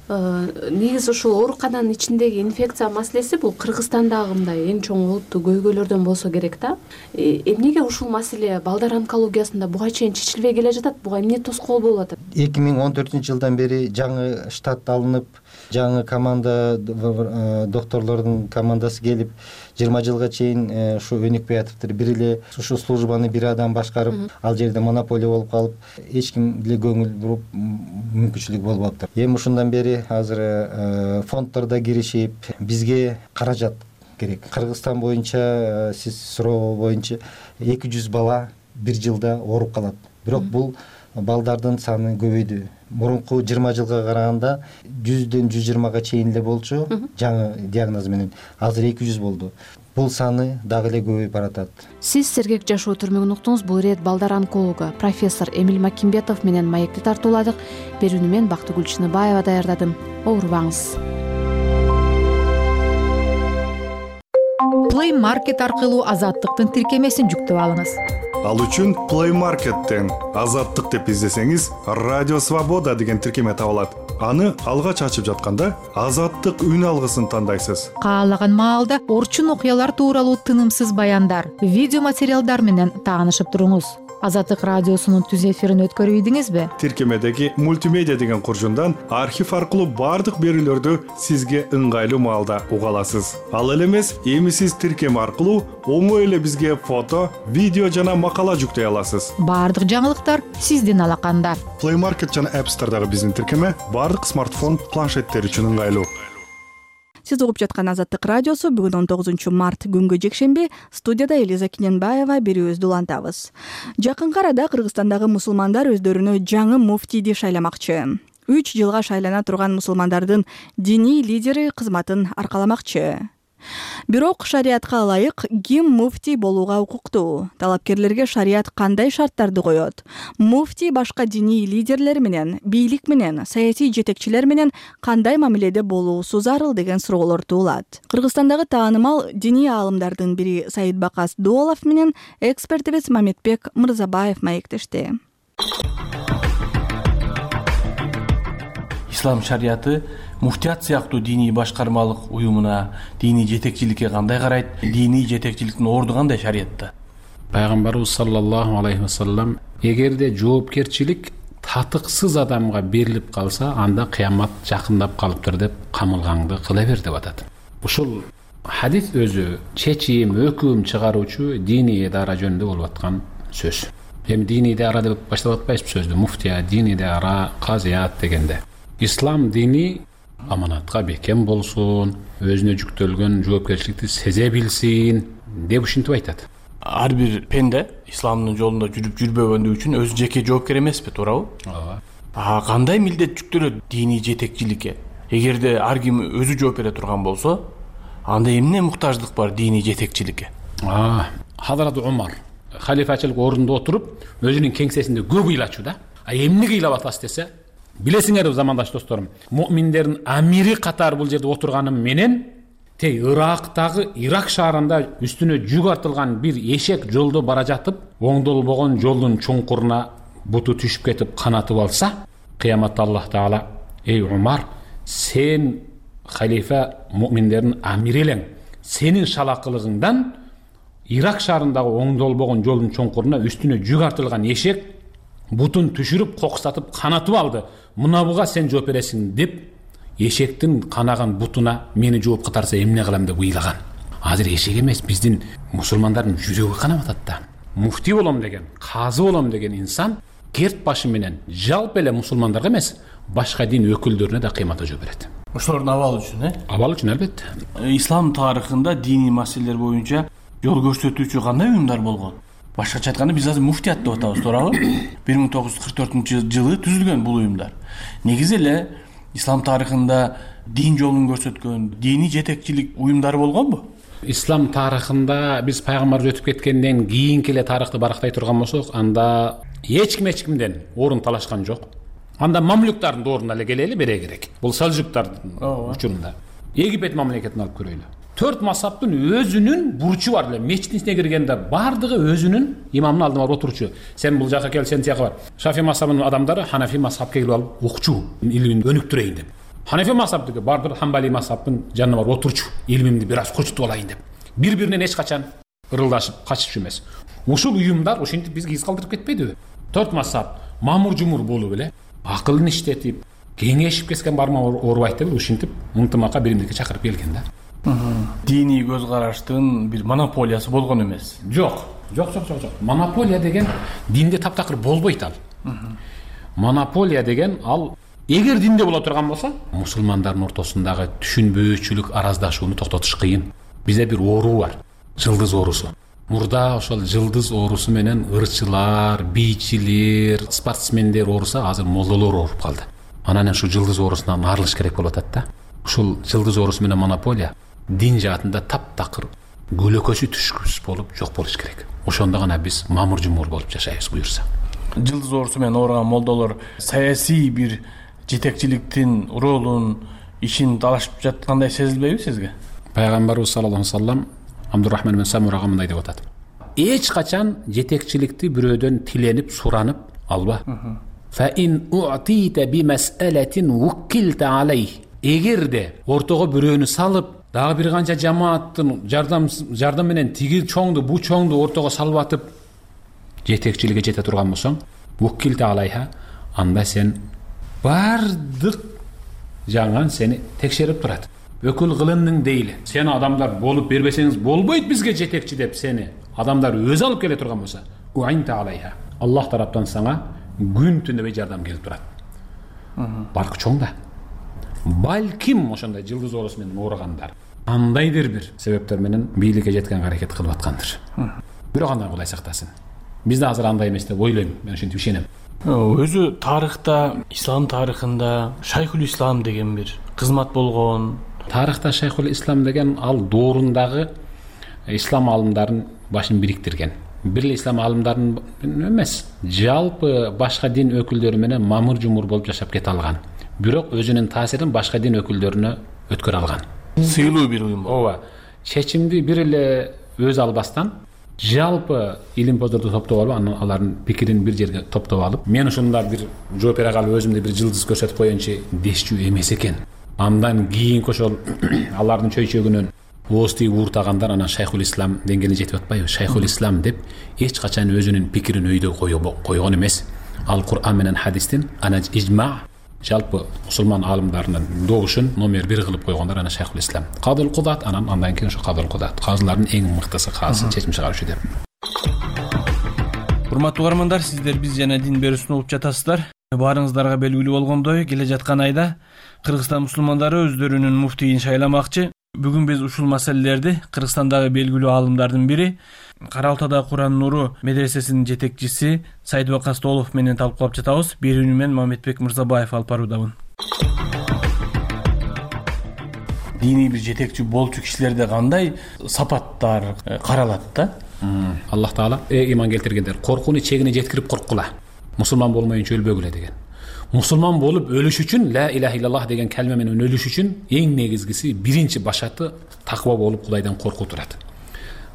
Speaker 3: Негизи ушул оорукананын ичиндеги инфекция маселеси бул Кыргызстандагы мындай эң чоң олуттуу көйгөйлөрдөн болсо керек да. Эмнеге ушул маселе балдар онкологиясында буга чейин чечилбей келе жатат? Буга эмне тоскоол болуп атат? 2014-жылдан бери жаңы штат алынып, жаңы команда докторлордун командасы келип 20 жылга чейин ушу өнүкпөй атыптыр. Бир эле ушу службаны бир адам башкарып, ал жерде монополия болуп калып, эч ким деле көңүл буруп мүмкүнчүлүк болбоптур. Эми ушундан бери азыр фонддордо киришип, бизге каражат керек. Кыргызстан боюнча сиз суроо боюнча 200 бала бир жылда ооруп калат. Бирок бул балдардын саны көбөйдү. Мурунку 20 жылга караганда 100ден 120га чейин эле болчу жаңы диагноз менен. Азыр 200 болду. Бул саны дагы эле көбөйүп баратат. Сиз Сергек жашоо түрмөгүн уктуңуз. Бул ирет балдар онкологу профессор Эмиль Макимбетов менен маекти тартууладык. Берүүнү мен Бактыгүл Чыныбаева даярдадым. Оорубаңыз.
Speaker 4: Play Market аркылуу Азаттыктын тиркемесин жүктөп алыңыз.
Speaker 9: Ал үчүн Play Market'тен Азаттык деп издесеңиз, Радио Свобода деген тиркеме табылат. Аны алгач ачып жатканда Азаттык үн алгысын тандайсыз.
Speaker 4: Каалаган маалда орчун окуялар тууралуу тынымсыз баяндар, видео материалдар менен таанышып туруңуз. Азаттык радиосунун түз эфирин өткөрүп ийдиңизби?
Speaker 9: Тиркемедеги мультимедиа деген куржундан архив аркылуу бардык берүүлөрдү сизге ыңгайлуу маалда уга аласыз. Ал эле эмес, эми сиз тиркеме аркылуу оңой эле бизге фото, видео жана макала жүктөй аласыз.
Speaker 4: Бардык жаңылыктар сиздин алаканда.
Speaker 9: Play Market жана App Store'дагы биздин тиркеме бардык смартфон, планшеттер үчүн ыңгайлуу.
Speaker 1: Сиз угуп жаткан Азаттык радиосу бүгүн 19 март күнгө жекшемби. Студияда Элиза Киненбаева берүүбүздү улантабыз. Жакынкы арада Кыргызстандагы мусулмандар өздөрүнө жаңы муфтийди шайламакчы. 3 жылга шайлана турган мусулмандардын диний лидери кызматын аркаламакчы. Бирок шариатка ылайык ким муфтий болууга укуктуу? Талапкерлерге шариат кандай шарттарды коет? Муфтий башка диний лидерлер менен, бийлик менен, саясий жетекчилер менен кандай мамиледе болуусу зарыл деген суроолор туулат. Кыргызстандагы таанымал диний аалымдардын бири Саидбакас Дуолов менен экспертибиз Мамедбек Мырзабаев маектешти.
Speaker 22: Ислам шариаты муфтият сыяктуу диний башкармалык уюмуна, диний жетекчиликке кандай карайт? Диний жетекчиликтин орду кандай шариатта?
Speaker 23: Пайгамбарыбыз саллаллаху алейхи вассалам эгерде жоопкерчилик татыксыз адамга берилип калса, анда кыямат жакындап калыптыр деп камылгаңды кыла бер деп атат. Ушул хадис өзү чечим, өкүм чыгаруучу диний идара жөнүндө болуп аткан сөз. Эми диний идара деп баштап атпайсызбы сөздү? Муфтия, диний идара, казият дегенде. Ислам дини аманатка бекем болсун, өзүнө жүктөлгөн жоопкерчиликти сезе билсин деп ушинтип айтат.
Speaker 22: Ар бир пенде исламдын жолунда жүрүп жүрбөгөндүгү үчүн өзү жеке жоопкер эмеспи, туурабы?
Speaker 23: Ооба.
Speaker 22: Кандай милдет жүктөлөт диний жетекчиликке? Эгерде ар ким өзү жооп бере турган болсо, анда эмне муктаждык бар диний жетекчиликке?
Speaker 23: Хазрат Умар халифачылык ордунда отуруп, өзүнүн кеңсесинде көп ыйлачу да. Эмне ыйлап атасыз десе, билесиңерби замандаш досторум, муъминдердин амири катары бул жерде отурганым менен тей Ирактагы Ирак шаарында үстүнө жүк артылган бир эшек жолдо бара жатып, оңдолбогон жолдун чуңкуруна буту түшүп кетип канатып алса, кыяматта Аллах Таала: "Эй Умар, сен халифа муъминдердин амири элең. Сенин шалакылыгыңдан Ирак шаарындагы оңдолбогон жолдун чуңкуруна үстүнө жүк артылган эшек бутун түшүрүп, коксатып, канатып алды. Мына буга сен жооп бересиң" деп эшектин канаган бутуна мени жооп катарса эмне кылам деп ыйлаган. Азыр эшек эмес, биздин мусулмандардын жүрөгү канап атат да. Муфтий болом деген, казы болом деген инсан керт башы менен жалпы эле мусулмандарга эмес, башка дин өкүлдөрүнө да кыйматта жооп берет.
Speaker 22: Ошолордун абалы үчүн,
Speaker 23: Абалы үчүн албетте.
Speaker 22: Ислам тарыхында диний маселелер боюнча жол көрсөтүүчү кандай уюмдар болгон? Башкача айтканда биз азыр муфтият деп атабыз, туурабы? 1944-жылы түзүлгөн бул уюмдар. Негизи эле ислам тарыхында дин жолун көрсөткөн диний жетекчилик уюмдары болгонбу?
Speaker 23: Ислам тарыхында биз пайгамбарыбыз өтүп кеткенден кийинки эле тарыхты барактай турган болсок, анда эч кимден орун талашкан жок. Анда мамлюктардын ордуна эле келели бере керек. Бул салжуктардын учурунда. Египет мамлекетин алып көрөйлү. 4 мазхабтын өзүнүн бурчу бар эле. Мечиттин ичине киргенде бардыгы өзүнүн имамдын алдына барып отурчу. Сен бул жака кел, сен тияка бар. Шафи мазхабынын адамдары Ханафи мазхабка келип алып укчу, илимин өнүктүрөйүн деп. Ханафи мазхабдыгы бардыр Хамбали мазхабтын жанына барып отурчу, илимимди бир аз кочутуп алайын деп. Бири-биринен эч качан ырылдашып, качышып эмес. Ушул уюмдар ушинтип бизге из калтырып кетпедиби? 4 мазхаб мамур-жумур болуп эле, акылын иштетип, кеңешип кеткен барма оорубайт деп ушинтип ынтымакка биримдикке чакырып келген да.
Speaker 22: Диний көз караштын бир монополиясы болгон эмес.
Speaker 23: Жок. Монополия деген динде таптакыр болбойт ал. Монополия деген ал эгер динде боло турган болсо, мусулмандардын ортосундагы түшүнбөөчүлүк, араздашууну токтотуш кыйын. Бизде бир оору бар, жылдыз оорусу. Мурда ошол жылдыз оорусу менен ырчылар, бийчилер, спортсмендер ооруса, азыр молдолор ооруп калды. Анан ушу жылдыз оорусунан арылыш керек болуп атат да. Ушул жылдыз оорусу менен монополия дин жаатында таптакыр көлөкөсү түшкүс болуп жок болуш керек. Ошондо гана биз мамур-жумур болуп жашайбыз буюрса.
Speaker 22: Жылдыз оорусу менен ооруган молдолор саясий бир жетекчиликтин ролун, ишин талашып жаткандай сезилбейби сизге?
Speaker 23: Пайгамбарыбыз саллаллаху алейхи вассалам Абдурахман ибн Самурага мындай деп атат: эч качан жетекчиликти бирөөдөн тиленип суранып алба. Эгерде ортого бирөөнү салып, дагы бир канча жамааттын жардам менен тиги чоңду бу чоңду ортого салып атып жетекчиликке жете турган болсоң, анда сен бардык жаңан сени текшерип турат. Өкүл кылындың дейли. Сени адамдар болуп бербесеңиз болбойт бизге жетекчи деп сени адамдар өзү алып келе турган болсо, Аллах тараптан сага күн түн дебей жардам келип турат. Баркы чоң да. Балким ошондой жылдыз оорусу менен ооругандар кандайдыр бир себептер менен бийликке жеткенге аракет кылып аткандыр. Бирок андан Кудай сактасын. Биз да азыр андай эмес деп ойлойм. Мен ошентип ишенем.
Speaker 22: Өзү тарыхта, ислам тарыхында Шайхул Ислам деген бир кызмат болгон.
Speaker 23: Тарыхта Шайхул Ислам деген ал доорундагы ислам алымдарын башын бириктирген. Бир эле ислам алымдарын эмес, жалпы башка дин өкүлдөрү менен мамыр жумур болуп жашап кете алган. Бирок өзүнүн таасирин башка дин өкүлдөрүнө өткөрө алган.
Speaker 22: Сыйлуу бир уюм.
Speaker 23: Ооба. Чечимди бир эле өзү албастан жалпы илимпоздорду топтоп алып, алардын пикирин бир жерге топтоп алып, мен ушунда бир жооп бере калып өзүмдү бир жылдыз көрсөтүп коеюнчу дешчү эмес экен. Андан кийинки ошол алардын чөйчөгүнөн ооз тигип ууртагандар анан Шайхул Ислам деңгээлине жетип атпайбы? Шайхул Ислам деп эч качан өзүнүн пикирин өйдө койгон эмес. Ал Кур'ан менен хадистин ижма жалпы мусулман аалымдарынын добушун номер 1 кылып койгондар анан Шайхул Ислам. Кадыл Кудат андан кийин ошо Кадыл Кудат. Казылардын эң мыктысы каасы чечим чыгаруучу деп.
Speaker 22: Урматтуу угармандар, сиздер биз жана дин берүүсүн угуп жатасыздар. Баарыңыздарга белгилүү болгондой, келе жаткан айда Кыргызстан мусулмандары өздөрүнүн муфтийин шайламакчы. Бүгүн биз ушул маселелерди Кыргызстандагы белгилүү аалымдардын бири, Кара Алтадагы Куран нуру медресесинин жетекчиси Сайдыбек Астолов менен талкуулап жатабыз. Берүүнү мен Мамедбек Мырзабаев алып баруудамын. Диний бир жетекчи болчу кишилерде кандай сапаттар каралат да?
Speaker 23: Аллах Таала ыйман келтиргендер коркууну чегине жеткирип корккула. Мусулман болмоюнча өлбөгүлө деген. Мусулман болуп өлүш үчүн ла илаха иллаллах деген калме менен өлүш үчүн эң негизгиси биринчи башаты таква болуп Кудайдан коркуу турат.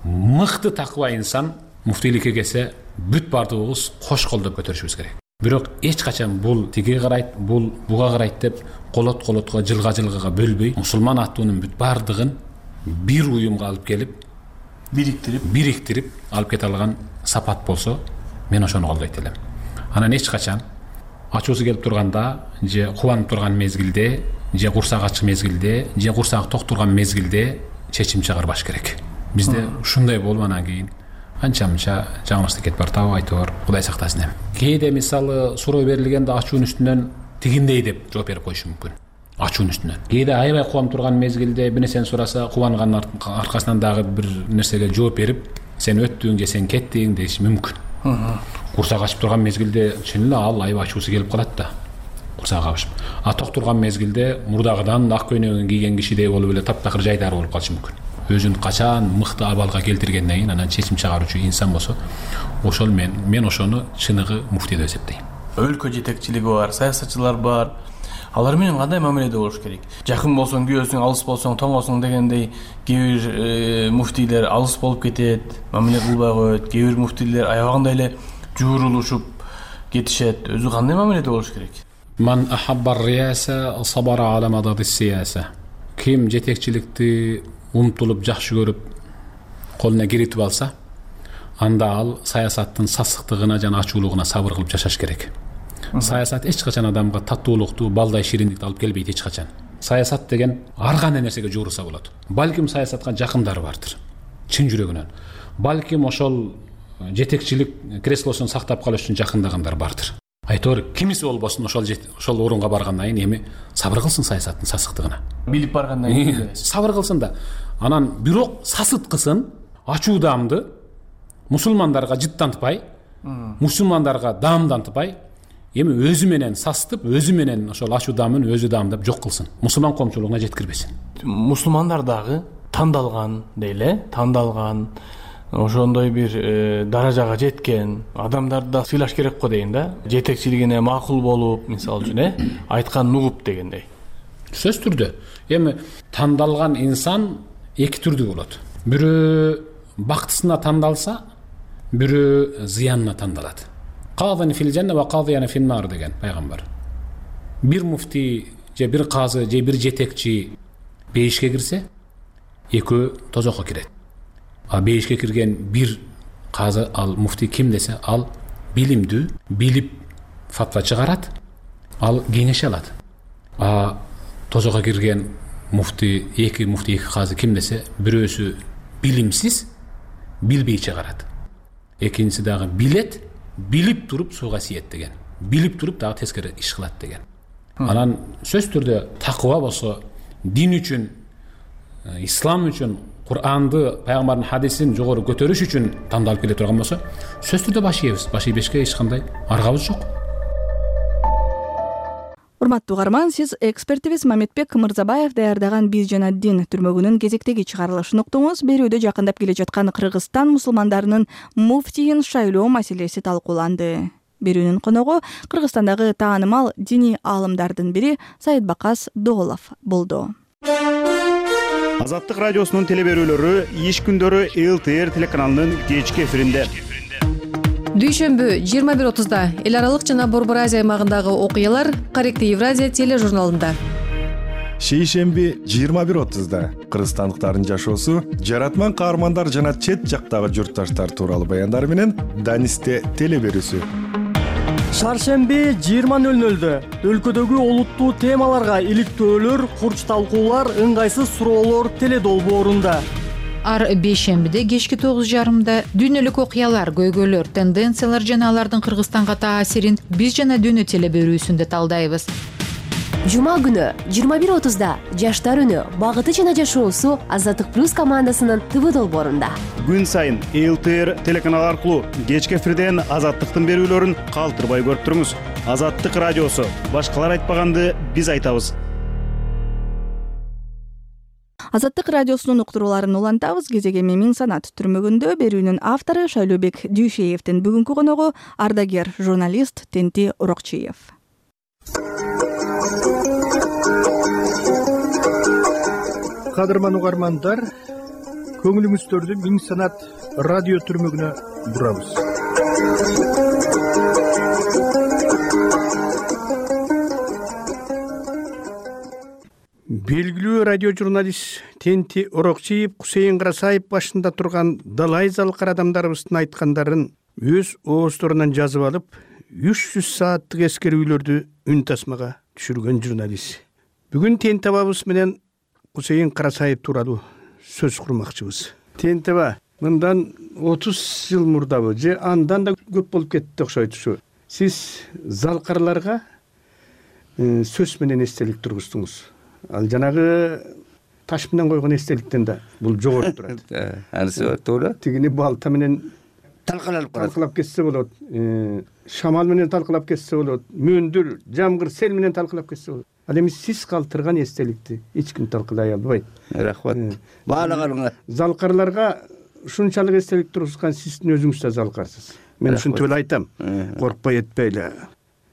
Speaker 23: Мыкты таква инсан муфтийликке келсе бүт бардыгыбыз кош колдоп көтөрүшүбүз керек. Бирок эч качан бул тиги карайт, бул буга карайт деп колотко жылга бөлбөй, мусулман аттуунун бүт бардыгын бир уюмга алып келип бириктирип алып кете алган сапат болсо, мен ошону колдойт элем. Анан эч качан ачуусу келип турганда, же кубанып турган мезгилде, же курсак ачык мезгилде, же курсак ток турган мезгилде чечим чыгарбаш керек. Бизде ушундай болуп анан кийин анча-мынча жаңылыштык кетип бартабы, айтор Кудай сактасын эми. Кээде мисалы суроо берилгенде ачуунун үстүнөн тигиндей деп жооп берип коюшу мүмкүн. Ачуунун үстүнөн. Кээде аябай кубанып турган мезгилде бир нерсени сураса, кубанганын аркасынан дагы бир нерсеге жооп берип, сен өттүң же сен кеттиң деши мүмкүн. Курсак ачып турган мезгилде чын эле ал аябай ачуусу келип калат да. Курсак ачып. Ток турган мезгилде мурдагыдан ак көйнөгүн кийген кишидей болуп эле таптакыр жайдары болуп калышы мүмкүн. Өзүн качан мыкты абалга келтиргенден кийин анан чечим чыгаруучу инсан болсо, ошол мен ошону чыныгы муфтий деп эсептейм. Өлкө жетекчилиги бар, саясатчылар бар. Алар менен кандай мамиледе болуш керек? Жакын болсоң күйөөсүң, алыс болсоң тоңосуң дегендей кээ бир муфтийлер алыс болуп кетет, мамиле кылбай коет. Кээ бир муфтийлер аябагандай эле жуурулушуп кетишет. Өзү кандай мамиледе болуш керек? Ман ахаббар рияса сабара ала мададис сияса. Ким жетекчиликти умтулуп жакшы көрүп колуна киритип алса, анда ал саясаттын сасыктыгына жана ачуулугуна сабыр кылып жашаш керек. Саясат эч качан адамга таттуулукту, балдай шириндикти алып келбейт эч качан. Саясат деген ар кандай нерсеге жуурса болот. Балким саясатка жакындары бардыр, чын жүрөгүнөн. Балким ошол жетекчилик креслосун сактап калыш үчүн жакындагандар бардыр. Айтор кимиси болбосун ошол орунга баргандан кийин эми сабыр кылсын саясаттын сасыктыгына. Билип баргандан кийин сабыр кылсын да. Анан бирок сасыткысын, ачуудаамды мусулмандарга жыттантпай, мусулмандарга даамдантпай, эми өзү менен састып, өзү менен ошол ачуудаамын өзү даамдап жок кылсын. Мусулман коомчулугуна жеткирбесин. Мусулмандар дагы тандалган дейле, тандалган ошондой бир даражага жеткен адамдарды да сыйлаш керек го дейин да. Жетекчилигине макул болуп, мисалы үчүн, айтканын угуп дегендей. Сөз түрдө. Эми тандалган инсан эки түрдүү болот. бирөө бактысына тандалса, бирөө зыянына тандалат. Казан фил жанна ва казияна фин нар деген пайгамбар. Бир муфти же бир казы же бир жетекчи бейишке кирсе, экөө тозокко кирет. А бейишке кирген бир казы, ал муфти ким десе, ал билимдүү, билип фатва чыгарат, ал кеңеш алат. А тозокко кирген эки муфти, эки казы ким десе, бирөөсү билимсиз, билбей чыгарат. Экинчиси дагы билет, билип туруп сууга сиет деген. Билип туруп дагы тескери иш кылат деген. Анан сөзсүз түрдө такыба болсо, дин үчүн, ислам үчүн, Кур'анды, пайгамбардын хадисин жогору көтөрүш үчүн тандалып келе турган болсо, сөзсүз түрдө баш ийебиз. Баш ийбешке эч кандай аргабыз жок.
Speaker 1: Урматтуу угарман, сиз экспертибиз Мамедбек Мырзабаев даярдаган «Биз жана дин» түрмөгүнүн кезектеги чыгарылышын уктуңуз. Берүүдө жакындап келе жаткан Кыргызстан мусулмандарынын муфтийин шайлоо маселеси талкууланды. Берүүнүн коногу Кыргызстандагы таанымал диний аалымдардын бири Саидбакас Доолов болду.
Speaker 5: Азаттык радиосунун телеберүүлөрү иш күндөрү ЛТР телеканалынын кечки эфиринде.
Speaker 6: Дүйшөмбү 21:30 эл аралык жана Борбор Азия аймагындагы окуялар Корректив Евразия тележурналында.
Speaker 9: Шейшемби 21:30 кыргызстандыктардын жашоосу, жаратман каармандар жана чет жактагы журтташтар тууралуу баяндар менен Данисте телеберүүсү.
Speaker 2: Шаршемби 20:00 өлкөдөгү олуттуу темаларга иликтөөлөр, курч талкуулар, ыңгайсыз суроолор теледолбоорунда.
Speaker 4: Ар бейшембиде кечки 9:30 дүйнөлүк окуялар, көйгөйлөр, тенденциялар жана алардын Кыргызстанга таасирин «Биз жана дүйнө» телеберүүсүндө талдайбыз.
Speaker 8: Жума күнү 21:30 Жаштар үнү, багыты жана жашоосу Азаттык плюс командасынын ТВ долбоорунда.
Speaker 5: Күн сайын ЛТР телеканалы аркылуу кечки эфирден Азаттыктын берүүлөрүн калтырбай көрүп туруңуз. Азаттык радиосу, башкалар айтпаганды биз айтабыз.
Speaker 1: Азаттык радиосунун уктурууларын улантабыз. Кезегеми Миң Санат түрмөгүндө берүүнүн автору Шайлообек Дүйшеевдин бүгүнкү коногу ардагер журналист Тенти Урокчиев.
Speaker 2: Кадырман угармандар, көңүлүңүздөрдү Миң Санат радио түрмөгүнө бурабыз. Белгилүү радио журналист Тенти Урокчиев Кусейин Карасаев башында турган далай залкар адамдарыбыздын айткандарын өз оозторунан жазып алып, 300 сааттык эскерүүлөрдү үн тасмага түшүргөн журналист. Бүгүн Тенти абабыз менен Кусейин Карасаев тууралуу сөз курмакчыбыз. Тенти аба, мындан 30 жыл мурдабы же андан да көп болуп кетти окшойт ушу. Сиз залкарларга сөз менен эстелик тургуздуңуз. Ал жанагы таш менен койгон эстеликтен да бул жогору турат.
Speaker 24: Анысы туура.
Speaker 2: Тигини балта менен талкалап кетсе болот. Шамал менен талкалап кетсе болот. Мөндүр, жамгыр, сел менен талкалап кетсе болот. Ал эми сиз калтырган эстеликти эч ким талкалай албайт.
Speaker 24: Рахмат. Баалаганыңа.
Speaker 2: Залкарларга ушунчалык эстелик тургузган сиздин өзүңүз да залкарсыз. Мен ушинтип эле айтам. Коркпой этпейли.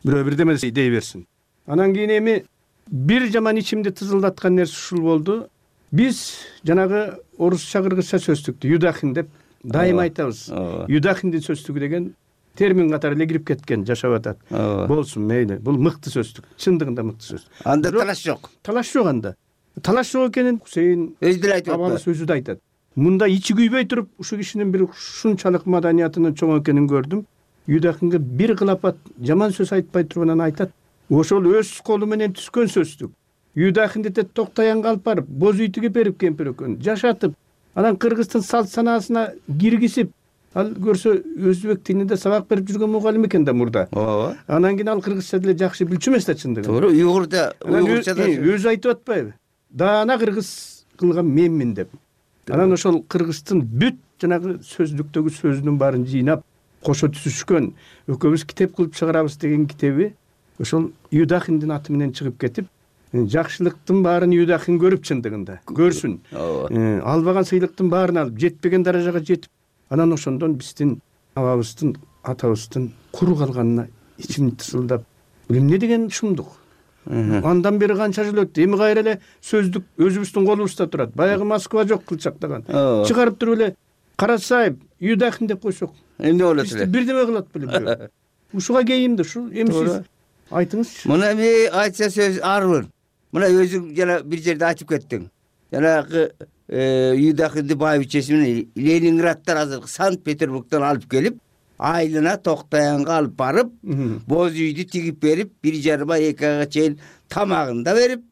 Speaker 2: Бирөө бирдеме дей берсин. Анан кийин эми бир жаман ичимди тызылдаткан нерсе ушул болду. Биз жанагы орусча кыргызча сөздүктү юдахин деп дайыма айтабыз. Юдахиндин сөздүгү деген термин катары эле кирип кеткен, жашап атат. Болсун, мейли. Бул мыкты сөздүк. Чындыгында мыкты сөз.
Speaker 24: Анда талаш жок.
Speaker 2: Талаш жок анда. Талаш жок экенин Кусейин
Speaker 24: өзү деле айтып
Speaker 2: атат. Өзү да айтат. Мында ичи күйбөй туруп, ушу кишинин бир ушунчалык маданиятынын чоң экенин көрдүм. Юдахинге бир кылапат жаман сөз айтпай турганан айтат. Ошол өз колу менен түскөн сөздүк. Юдахинди токтаянга алып барып, боз үй тигип берип кемпир экөөнү жашатып, анан кыргыздын салт санаасына киргизип, ал көрсө өзбек тилинде сабак берип жүргөн мугалим экен да мурда. Анан кийин ал кыргызча деле жакшы билчү эмес да чындыгында.
Speaker 24: Туура, уйгурча да.
Speaker 2: Өзү айтып атпайбы? Даана кыргыз кылган менмин деп. Анан ошол кыргыздын бүт жанагы сөздүктөгү сөзүнүн баарын жыйнап, кошо түзүшкөн, экөөбүз китеп кылып чыгарабыз деген китеби ошол Юдахиндин аты менен чыгып кетип, жакшылыктын баарын Юдахин көрүп чындыгында, көрсүн. Албаган сыйлыктын баарын алып, жетпеген даражага жетип, анан ошондон биздин абабыздын, атабыздын куру калганына ичим тысылдап, эмне деген шумдук.
Speaker 7: Андан бери канча жыл өттү. Эми кайра эле сөздүк өзүбүздүн колубузда турат. Баягы Москва жок кылчактаган. Чыгарып туруп эле Карасаев, Юдахин деп койсок.
Speaker 24: Эмне болот эле?
Speaker 7: Бирдеме кылат белем. Ушуга кейимди, ушу эми сиз айтыңызчы.
Speaker 24: Мына мен айтса сөз арбын. Мына өзүң жана бир жерде айтып кеттиң. Жанагы Юдахинди байбичеси менен Ленинградтан азыр Санкт-Петербургдан алып келип, айлына Токтоянга алып барып, боз үйдү тигип берип, 1,5 ай 2 айга чейин тамагын да берип,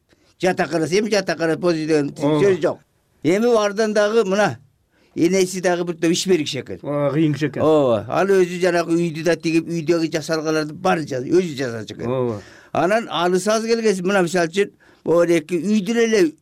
Speaker 24: жатаканасы эми жатакана боз үй деген сөз жок. Эми бардан дагы мына энеси дагы бир топ иш берикши экен.
Speaker 7: Кыйын киши экен.
Speaker 24: Ооба. Ал өзү жанагы үйдү да тигип, үйдөгү жасалгаларды бар өзү жасачу экен.
Speaker 7: Ооба.
Speaker 24: Анан алыс аз келгенси мына мисалы үчүн эки үйдүн эле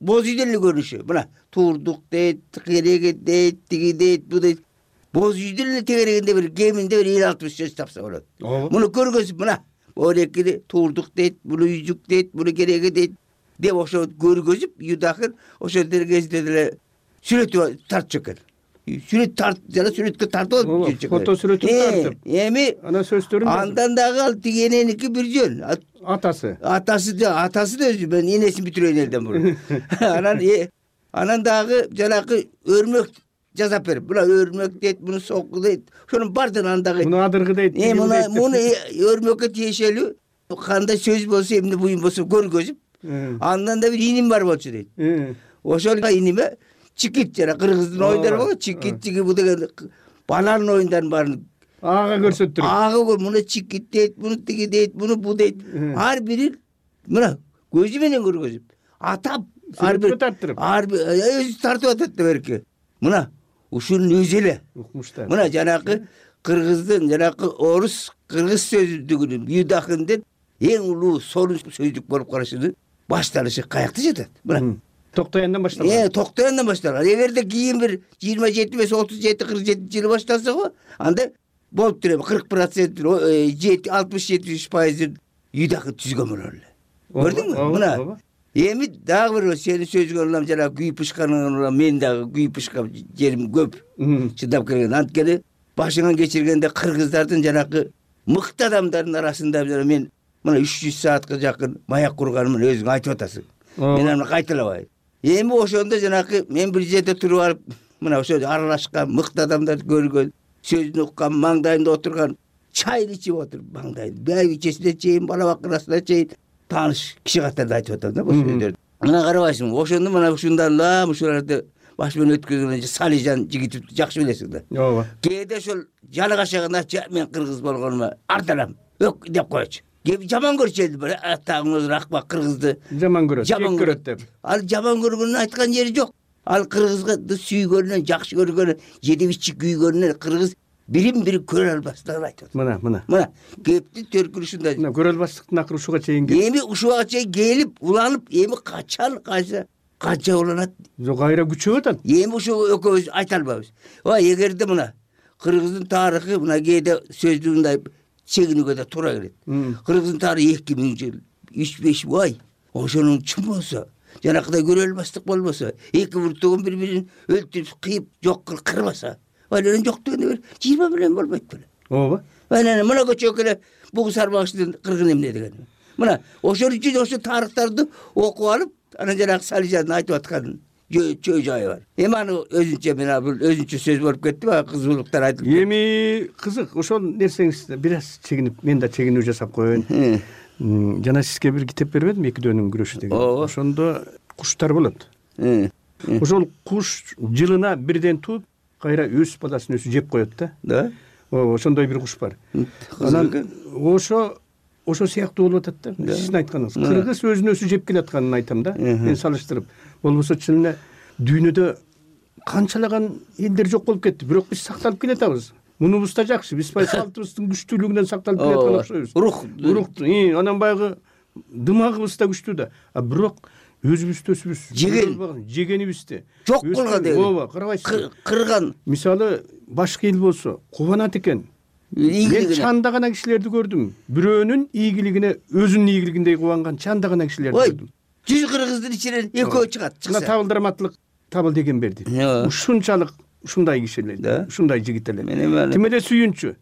Speaker 24: боз үйдөн эле көрүнүшү. Мына турдук дейт, кереги дейт, тиги дейт, бу дейт. Боз үйдүн эле тегерегинде бир кеминде бир 50-60 сөз тапса болот. Муну көргөзүп мына экини турдук дейт, буну үйжүк дейт, буну кереги дейт деп ошо көргөзүп, Юдахин ошо кезинде деле сүрөт тартчу экен. Сүрөт тарт, жана сүрөткө тартып алып жүрчү экен.
Speaker 7: Фото сүрөтүн тартып.
Speaker 24: Эми
Speaker 7: анан сөздөрүн
Speaker 24: андан дагы ал тиги эненики бир жөн.
Speaker 7: Атасы
Speaker 24: да өзү мен энесин бүтүрөйүн элден бурун. Анан дагы жанагы өрмөк жасап берип, мына өрмөк дейт, буну соку дейт. Ошонун бардыгын андагы.
Speaker 7: Муну адыргы дейт.
Speaker 24: Муну өрмөккө тиешелүү кандай сөз болсо, эмне буюм болсо көргөзүп, андан да бир иним бар болчу дейт. Ошол иниме чикит жана кыргыздын оюндары болот, чикит чиги бу деген баланын оюндарын баарын
Speaker 7: ага көрсөттүрүп.
Speaker 24: Ага муну чикит дейт, буну тиги дейт, буну бу дейт. Ар бирин мына көзү менен көргөзүп, атап ар бир
Speaker 7: тарттырып.
Speaker 24: Өзү тартып атат да берки. Мына ушунун өзү эле
Speaker 7: укмуштар.
Speaker 24: Мына жанагы кыргыздын, жанагы орус кыргыз сөздүгүнүн Юдахинден эң улуу сонун сөздүк болуп карашынын башталышы каякта жатат. Мына
Speaker 7: Токтояндан башталган.
Speaker 24: Токтояндан башталган. Эгерде кийин бир 27 эмес 37-47 жылы башталса го, анда болуп тур эми 40%, 60-70% Юдахин түзгөн болор эле. Көрдүңбү? Мына эми дагы бир сени сөзүңө улам жана күйүп пышканың улам мен дагы күйүп пышкап жерим көп чыдап келген. Анткени башыңан кечиргенде кыргыздардын жанагы мыкты адамдардын арасында мен мына 300 саатка жакын маяк курганымын өзүң айтып атасың. Мен аны кайталабайм. Эми ошондо жанагы мен бир жерде туруп алып, мына ошо аралашкан мыкты адамдарды көргөн, сөзүн уккан, маңдайында отурган, чайын ичип отуруп маңдайында, байбичесине чейин, бала бакырасына чейин тааныш киши катарында айтып атам да бул сөздөрдү. Мына карабайсың, ошондо мына ушундан ушуларды баш менен өткөргөн Салижан жигитти жакшы билесиң да.
Speaker 7: Ооба.
Speaker 24: Кээде ошол жаны кашаганда мен кыргыз болгонума ардалам, өк деп койчу. Жаман көрчү элди бир атаңыз рахба кыргызды
Speaker 7: жаман көрөт деп.
Speaker 24: Ал жаман көргөнүн айткан жери жок. Ал кыргызды сүйгөнүнөн, жакшы көргөнүнөн, жедибичи күйгөнүнөн кыргыз бирин-бири көрө албастыгын айтат. Мына кепти төркүнү ушундай.
Speaker 7: Мына көрө албастыктын акыры ушуга чейин келип.
Speaker 24: Эми ушуга чейин келип, уланып, эми канча уланат?
Speaker 7: Жок, кайра күчөп атат.
Speaker 24: Эми ушу экөөбүз айта албайбыз. Эгерде мына кыргыздын тарыхы мына кээде сөздүгүндай чегинүүгө да туура келет. Кыргыздын тарыхы 2000 жыл, 3-5 ай. Ошонун чын болсо, жанакыдай көрө албастык болбосо, эки буртугун бири-бирин өлтүрүп, кыйып, жок кылып кырбаса, анан жок дегенде бир 20 миллион болбойт беле.
Speaker 7: Ооба.
Speaker 24: Анан мына көчөгө эле бугу сарбагычтын кыргын эмне деген. Мына ошол үчүн ошо тарыхтарды окуп алып, анан жанагы Салижандын айтып аткан чөй жайы бар. Эми аны өзүнчө мен бул өзүнчө сөз болуп кетти, кызуулуктар айтылып.
Speaker 7: Эми кызык, ошол нерсеңизди бир аз чегинип, мен да чегинүү жасап коеюн. Жана сизге бир китеп бербедим, эки дөөнүн күрөшү деген. Ошондо куштар болот. Ошол куш жылына бирден тууп, кайра өз баласын өзү жеп коет да.
Speaker 24: Да.
Speaker 7: Ошондой бир куш бар. Анан ошо сыяктуу болуп атат да. Сиздин айтканыңыз. Кыргыз өзүн өзү жеп келатканын айтам да. Мен салыштырып. Болбосо чын эле дүйнөдө канчалаган элдер жок болуп кетти, бирок биз сакталып келатабыз. Мунубуз да жакшы, биз салтыбыздын күчтүүлүгүнөн сакталып келаткан окшойбуз. Рух, анан баягы дымагыбыз да күчтүү да. Бирок өзүбүздү жегенибизди
Speaker 24: жок кылган деген.
Speaker 7: Ооба, карабайсыз.
Speaker 24: Кырган.
Speaker 7: Мисалы башка эл болсо кубанат экен. Мен чандагана кишилерди көрдүм. Бирөөнүн ийгилигине, өзүнүн ийгилигиндей кубанган чандагана кишилерди көрдүм.
Speaker 24: 100 кыргыздын ичинен экөө чыгат.
Speaker 7: Мына табылдырматлык табыл деген берди. Ушунчалык ушундай кишилер, ушундай жигиттер. Тим эле сүйүнчү.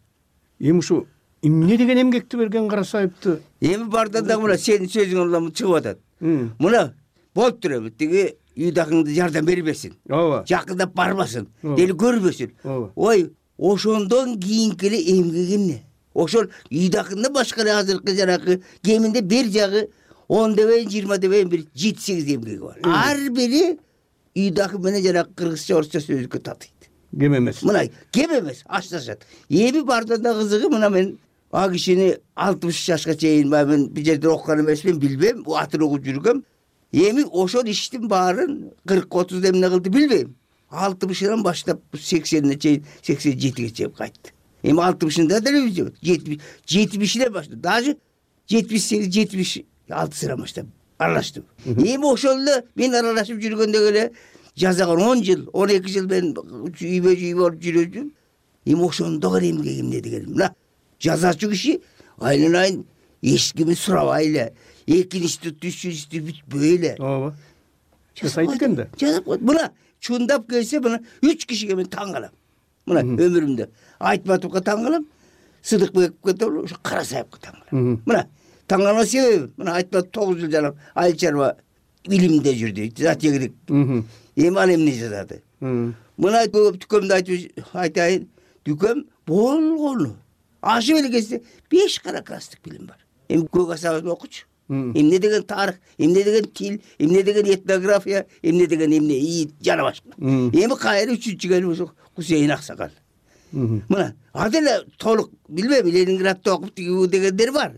Speaker 7: Эми ушу эмне деген эмгекти берген Карасаевди.
Speaker 24: Эми бардан дагы мына сенин сөзүң улам чыгып атат. Мына болуп тур эми тиги үйдакыңды жардам бербесин.
Speaker 7: Ооба.
Speaker 24: Жакындап барбасын. Дели көрбөсүн. Ой, ошондон кийинки эле эмгек эмне? Ошол үйдакында башка эле азыркы жанагы кеминде бир жагы 10 дебейин, 20 дебейин бир 7-8 эмгеги бар. Ар бири үйдакы менен жанагы кыргызча, орусча сөздүккө татыйт.
Speaker 7: Кем эмес.
Speaker 24: Мына кем эмес, ашташат. Эми бардан да кызыгы мына мен а кишини 60 жашка чейин мен бир жерде окуган эмесмин, билбейм, атын угуп жүргөм. Эми ошол иштин баарын 40-30 эмне кылды билбейм. 60-дан баштап 80-не чейин, 87-ге чейин кайтты. Эми 60-ында деле жок. 70-ден баштап, даже 78-76-дан баштап аралаштым. Эми ошол эле мен аралашып жүргөндө эле жазаган 10 жыл, 12 жыл мен үйбө-жүй болуп жүрөм. Эми ошондо эле эмгек эмне дегеним. Мына жазачу киши айланайын эч кимди сурабай эле, экинчи, үчүнчү бүтпөй эле.
Speaker 7: Ооба. Жасайт экен да.
Speaker 24: Жазап койду. Мына чундап келсе мына 3 кишиге мен таң калам. Мына өмүрүмдө Айтматовго таң калам, Сыдыкбековго да ошо Карасаевго таң калам. Мына таң калган себеби мына Айтматов 9 жыл жанагы айыл чарба билимде жүрдү, затегилик. Эми ал эмне жазады? Мына дүкөмдү айтайын, дүкөм болгону. Ашып эле келсе 5 кара класстык билим бар. Эми көк асабын окучу. Эмне деген тарых, эмне деген тил, эмне деген этнография, эмне деген эмне жана башка. Эми кайра 3-чү келип ошо Кусейин Аксакал. Мына ал деле толук билбейм, Ленинградда окуп дегендер бар.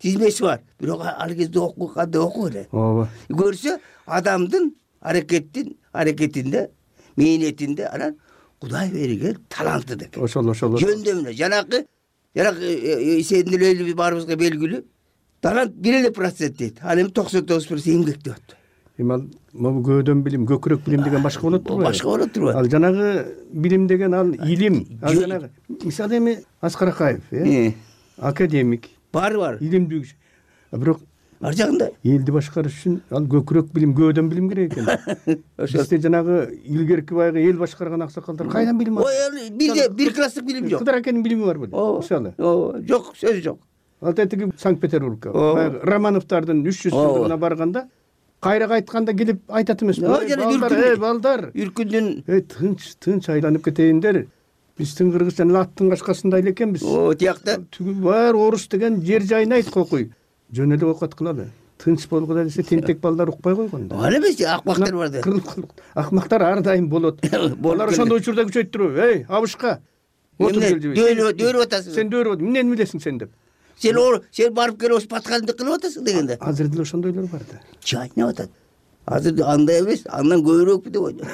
Speaker 24: Тизмеси бар. Бирок ал кезде окуганда окуу эле.
Speaker 7: Ооба.
Speaker 24: Көрсө адамдын аракетинде, мээнетинде анан Кудай берген таланты деп.
Speaker 7: Ошол.
Speaker 24: Жөндөмүнө жанагы сендин эле баарыбызга белгилүү. Талант 1% дейт. Ал эми 99% эмгек деп атты.
Speaker 7: Эми ал могу көөдөн билим, көкүрөк билим деген башка болот турбайбы?
Speaker 24: Башка болот турбайбы?
Speaker 7: Ал жанагы билим деген ал илим. Ал жанагы мисалы эми Аскар Акаев, академик.
Speaker 24: Бар.
Speaker 7: Илимдүү киши. Бирок
Speaker 24: ар жагында
Speaker 7: элди башкарыш үчүн ал көкүрөк билим, көөдөн билим керек экен. Бизде жанагы илгерки байгы эл башкарган аксакалдар кайдан билим алат?
Speaker 24: Ой, бир класстык билим жок.
Speaker 7: Кыдар акенин билими бар беле? Мисалы.
Speaker 24: Жок, сөз жок.
Speaker 7: Ал тетиги Санкт-Петербургка, Романовдардын 300 жылдыгына барганда, кайра кайтканда келип айтат эмеспи? Балдар,
Speaker 24: үркүндүн
Speaker 7: тынч айланып кетейиндер. Биздин кыргызчанын аттын кашкасында эле экенбиз.
Speaker 24: Тиякта
Speaker 7: түгү бар орус деген жер жайын айт кокуй. Жөн эле окат кылалы. Тынч болгула десе тентек балдар укпай койгон да.
Speaker 24: Ал эмес, акмактар бар да.
Speaker 7: Акмактар ар дайым болот. Алар ошондой учурда күчөйт туруп, абышка.
Speaker 24: Дөөрүп атасың.
Speaker 7: Сен дөөрүп атасың. Эмнени билесиң сен деп.
Speaker 24: Сен барып келип ошо патканды кылып атасың дегенде.
Speaker 7: Азыр деле ошондойлор бар да.
Speaker 24: Жайнап атат. Азыр андай эмес, андан көбүрөөкпү деп ойлойм.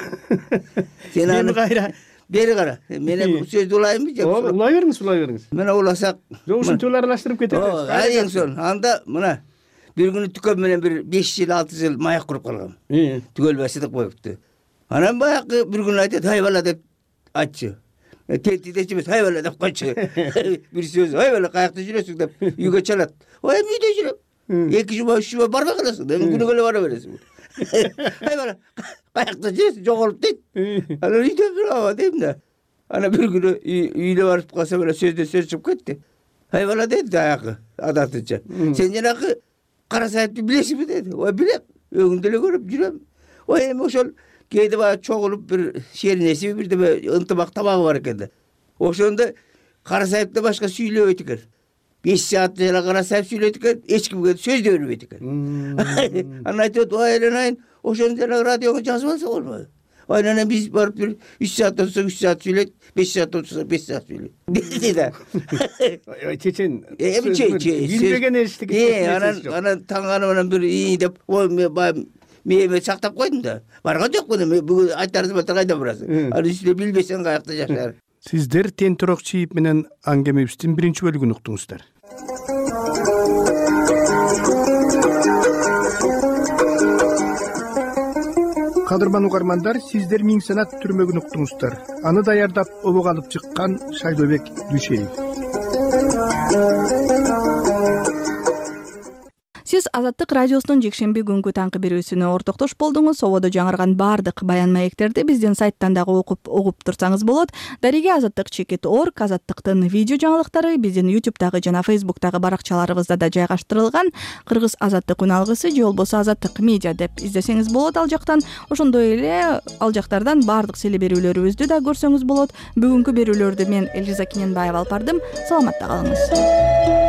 Speaker 24: Сен аны кайра бери кара. Мен сөздү улайынбы же?
Speaker 7: Улай бериңиз.
Speaker 24: Мен уласак,
Speaker 7: жок ушинтип эле аралаштырып кетебиз.
Speaker 24: Эң son. Анда мына бир күнү түкөм менен бир 5 жыл, 6 жыл маяк куруп калгам. Түгөлбай сыдык коюпту. Анан баягы бир күнү айтат, "Ай бала" деп айтчу. Тетидечи эмес, "Ай бала" деп койчу. Бир сөз, "Ай бала, каякта жүрөсүң" деп үйгө чалат. Ой, эми үйдө жүрөм. 2 жума, 3 жума барбай каласың, эми күнүгө эле бара бересиң. Ай бала, каякта жүрөсүң, жоголуп дейт. Анан үйдө турабы дейм да. Анан бир күнү үйдө барып калсам эле сөздө сөз чыгып кетти. Ай бала дейт аягы адатынча. Сен жанагы Карасаевди билесиңби деди. Ой, билем. Өңүндө эле көрүп жүрөм. Ой, эми ошол кээде баягы чогулуп бир шеринеси бирдеме ынтымак табагы бар экен да. Ошондо Карасаевден башка сүйлөбөйт экен. 5 саат жана Карасаев сүйлөйт экен, эч кимге сөз да бербейт экен. Анан айтат, "Ой, Айленайын, ошону жана радиого жазып алса болбойбу?" Айленайын биз барып бир 3 саат отурсак 3 саат сүйлөйт, 5 саат отурсак 5 саат сүйлөйт. Деди да.
Speaker 7: Чечен.
Speaker 24: Эми
Speaker 7: билбеген эчтеке.
Speaker 24: Анан таңганы менен бир деп, "Ой, мен сактап койдум да. Барган жокмун эми, бүгүн айтарсың, кайда барасың? Ал үстүнө билбесең каякта жашар."
Speaker 7: Сиздер Тентирок Чиип менен аңгемебиздин 1 бөлүгүн уктуңуздар. Кадырман угармандар, сиздер Миң санат түрмөгүн уктуңуздар. Аны даярдап обок алып чыккан Шайлообек Дүйшеев.
Speaker 1: сиз Азаттык радиосунун жекшемби күнгү таңкы берүүсүнө ортоктош болдуңуз. Ободо жаңырган баардык баян маектерди биздин сайттан дагы угуп турсаңыз болот. Дариге azattik.org Азаттыктын видео жаңылыктары биздин YouTube'дагы жана Facebook'тагы баракчаларыбызда да жайгаштырылган. Кыргыз Азаттык үн алгысы же болбосо Азаттык медиа деп издесеңиз болот ал жактан. Ошондой эле ал жактардан баардык селе берүүлөрүбүздү да көрсөңүз болот. Бүгүнкү берүүлөрдү мен Элиза Кененбаева алып бардым. Саламатта калыңыз.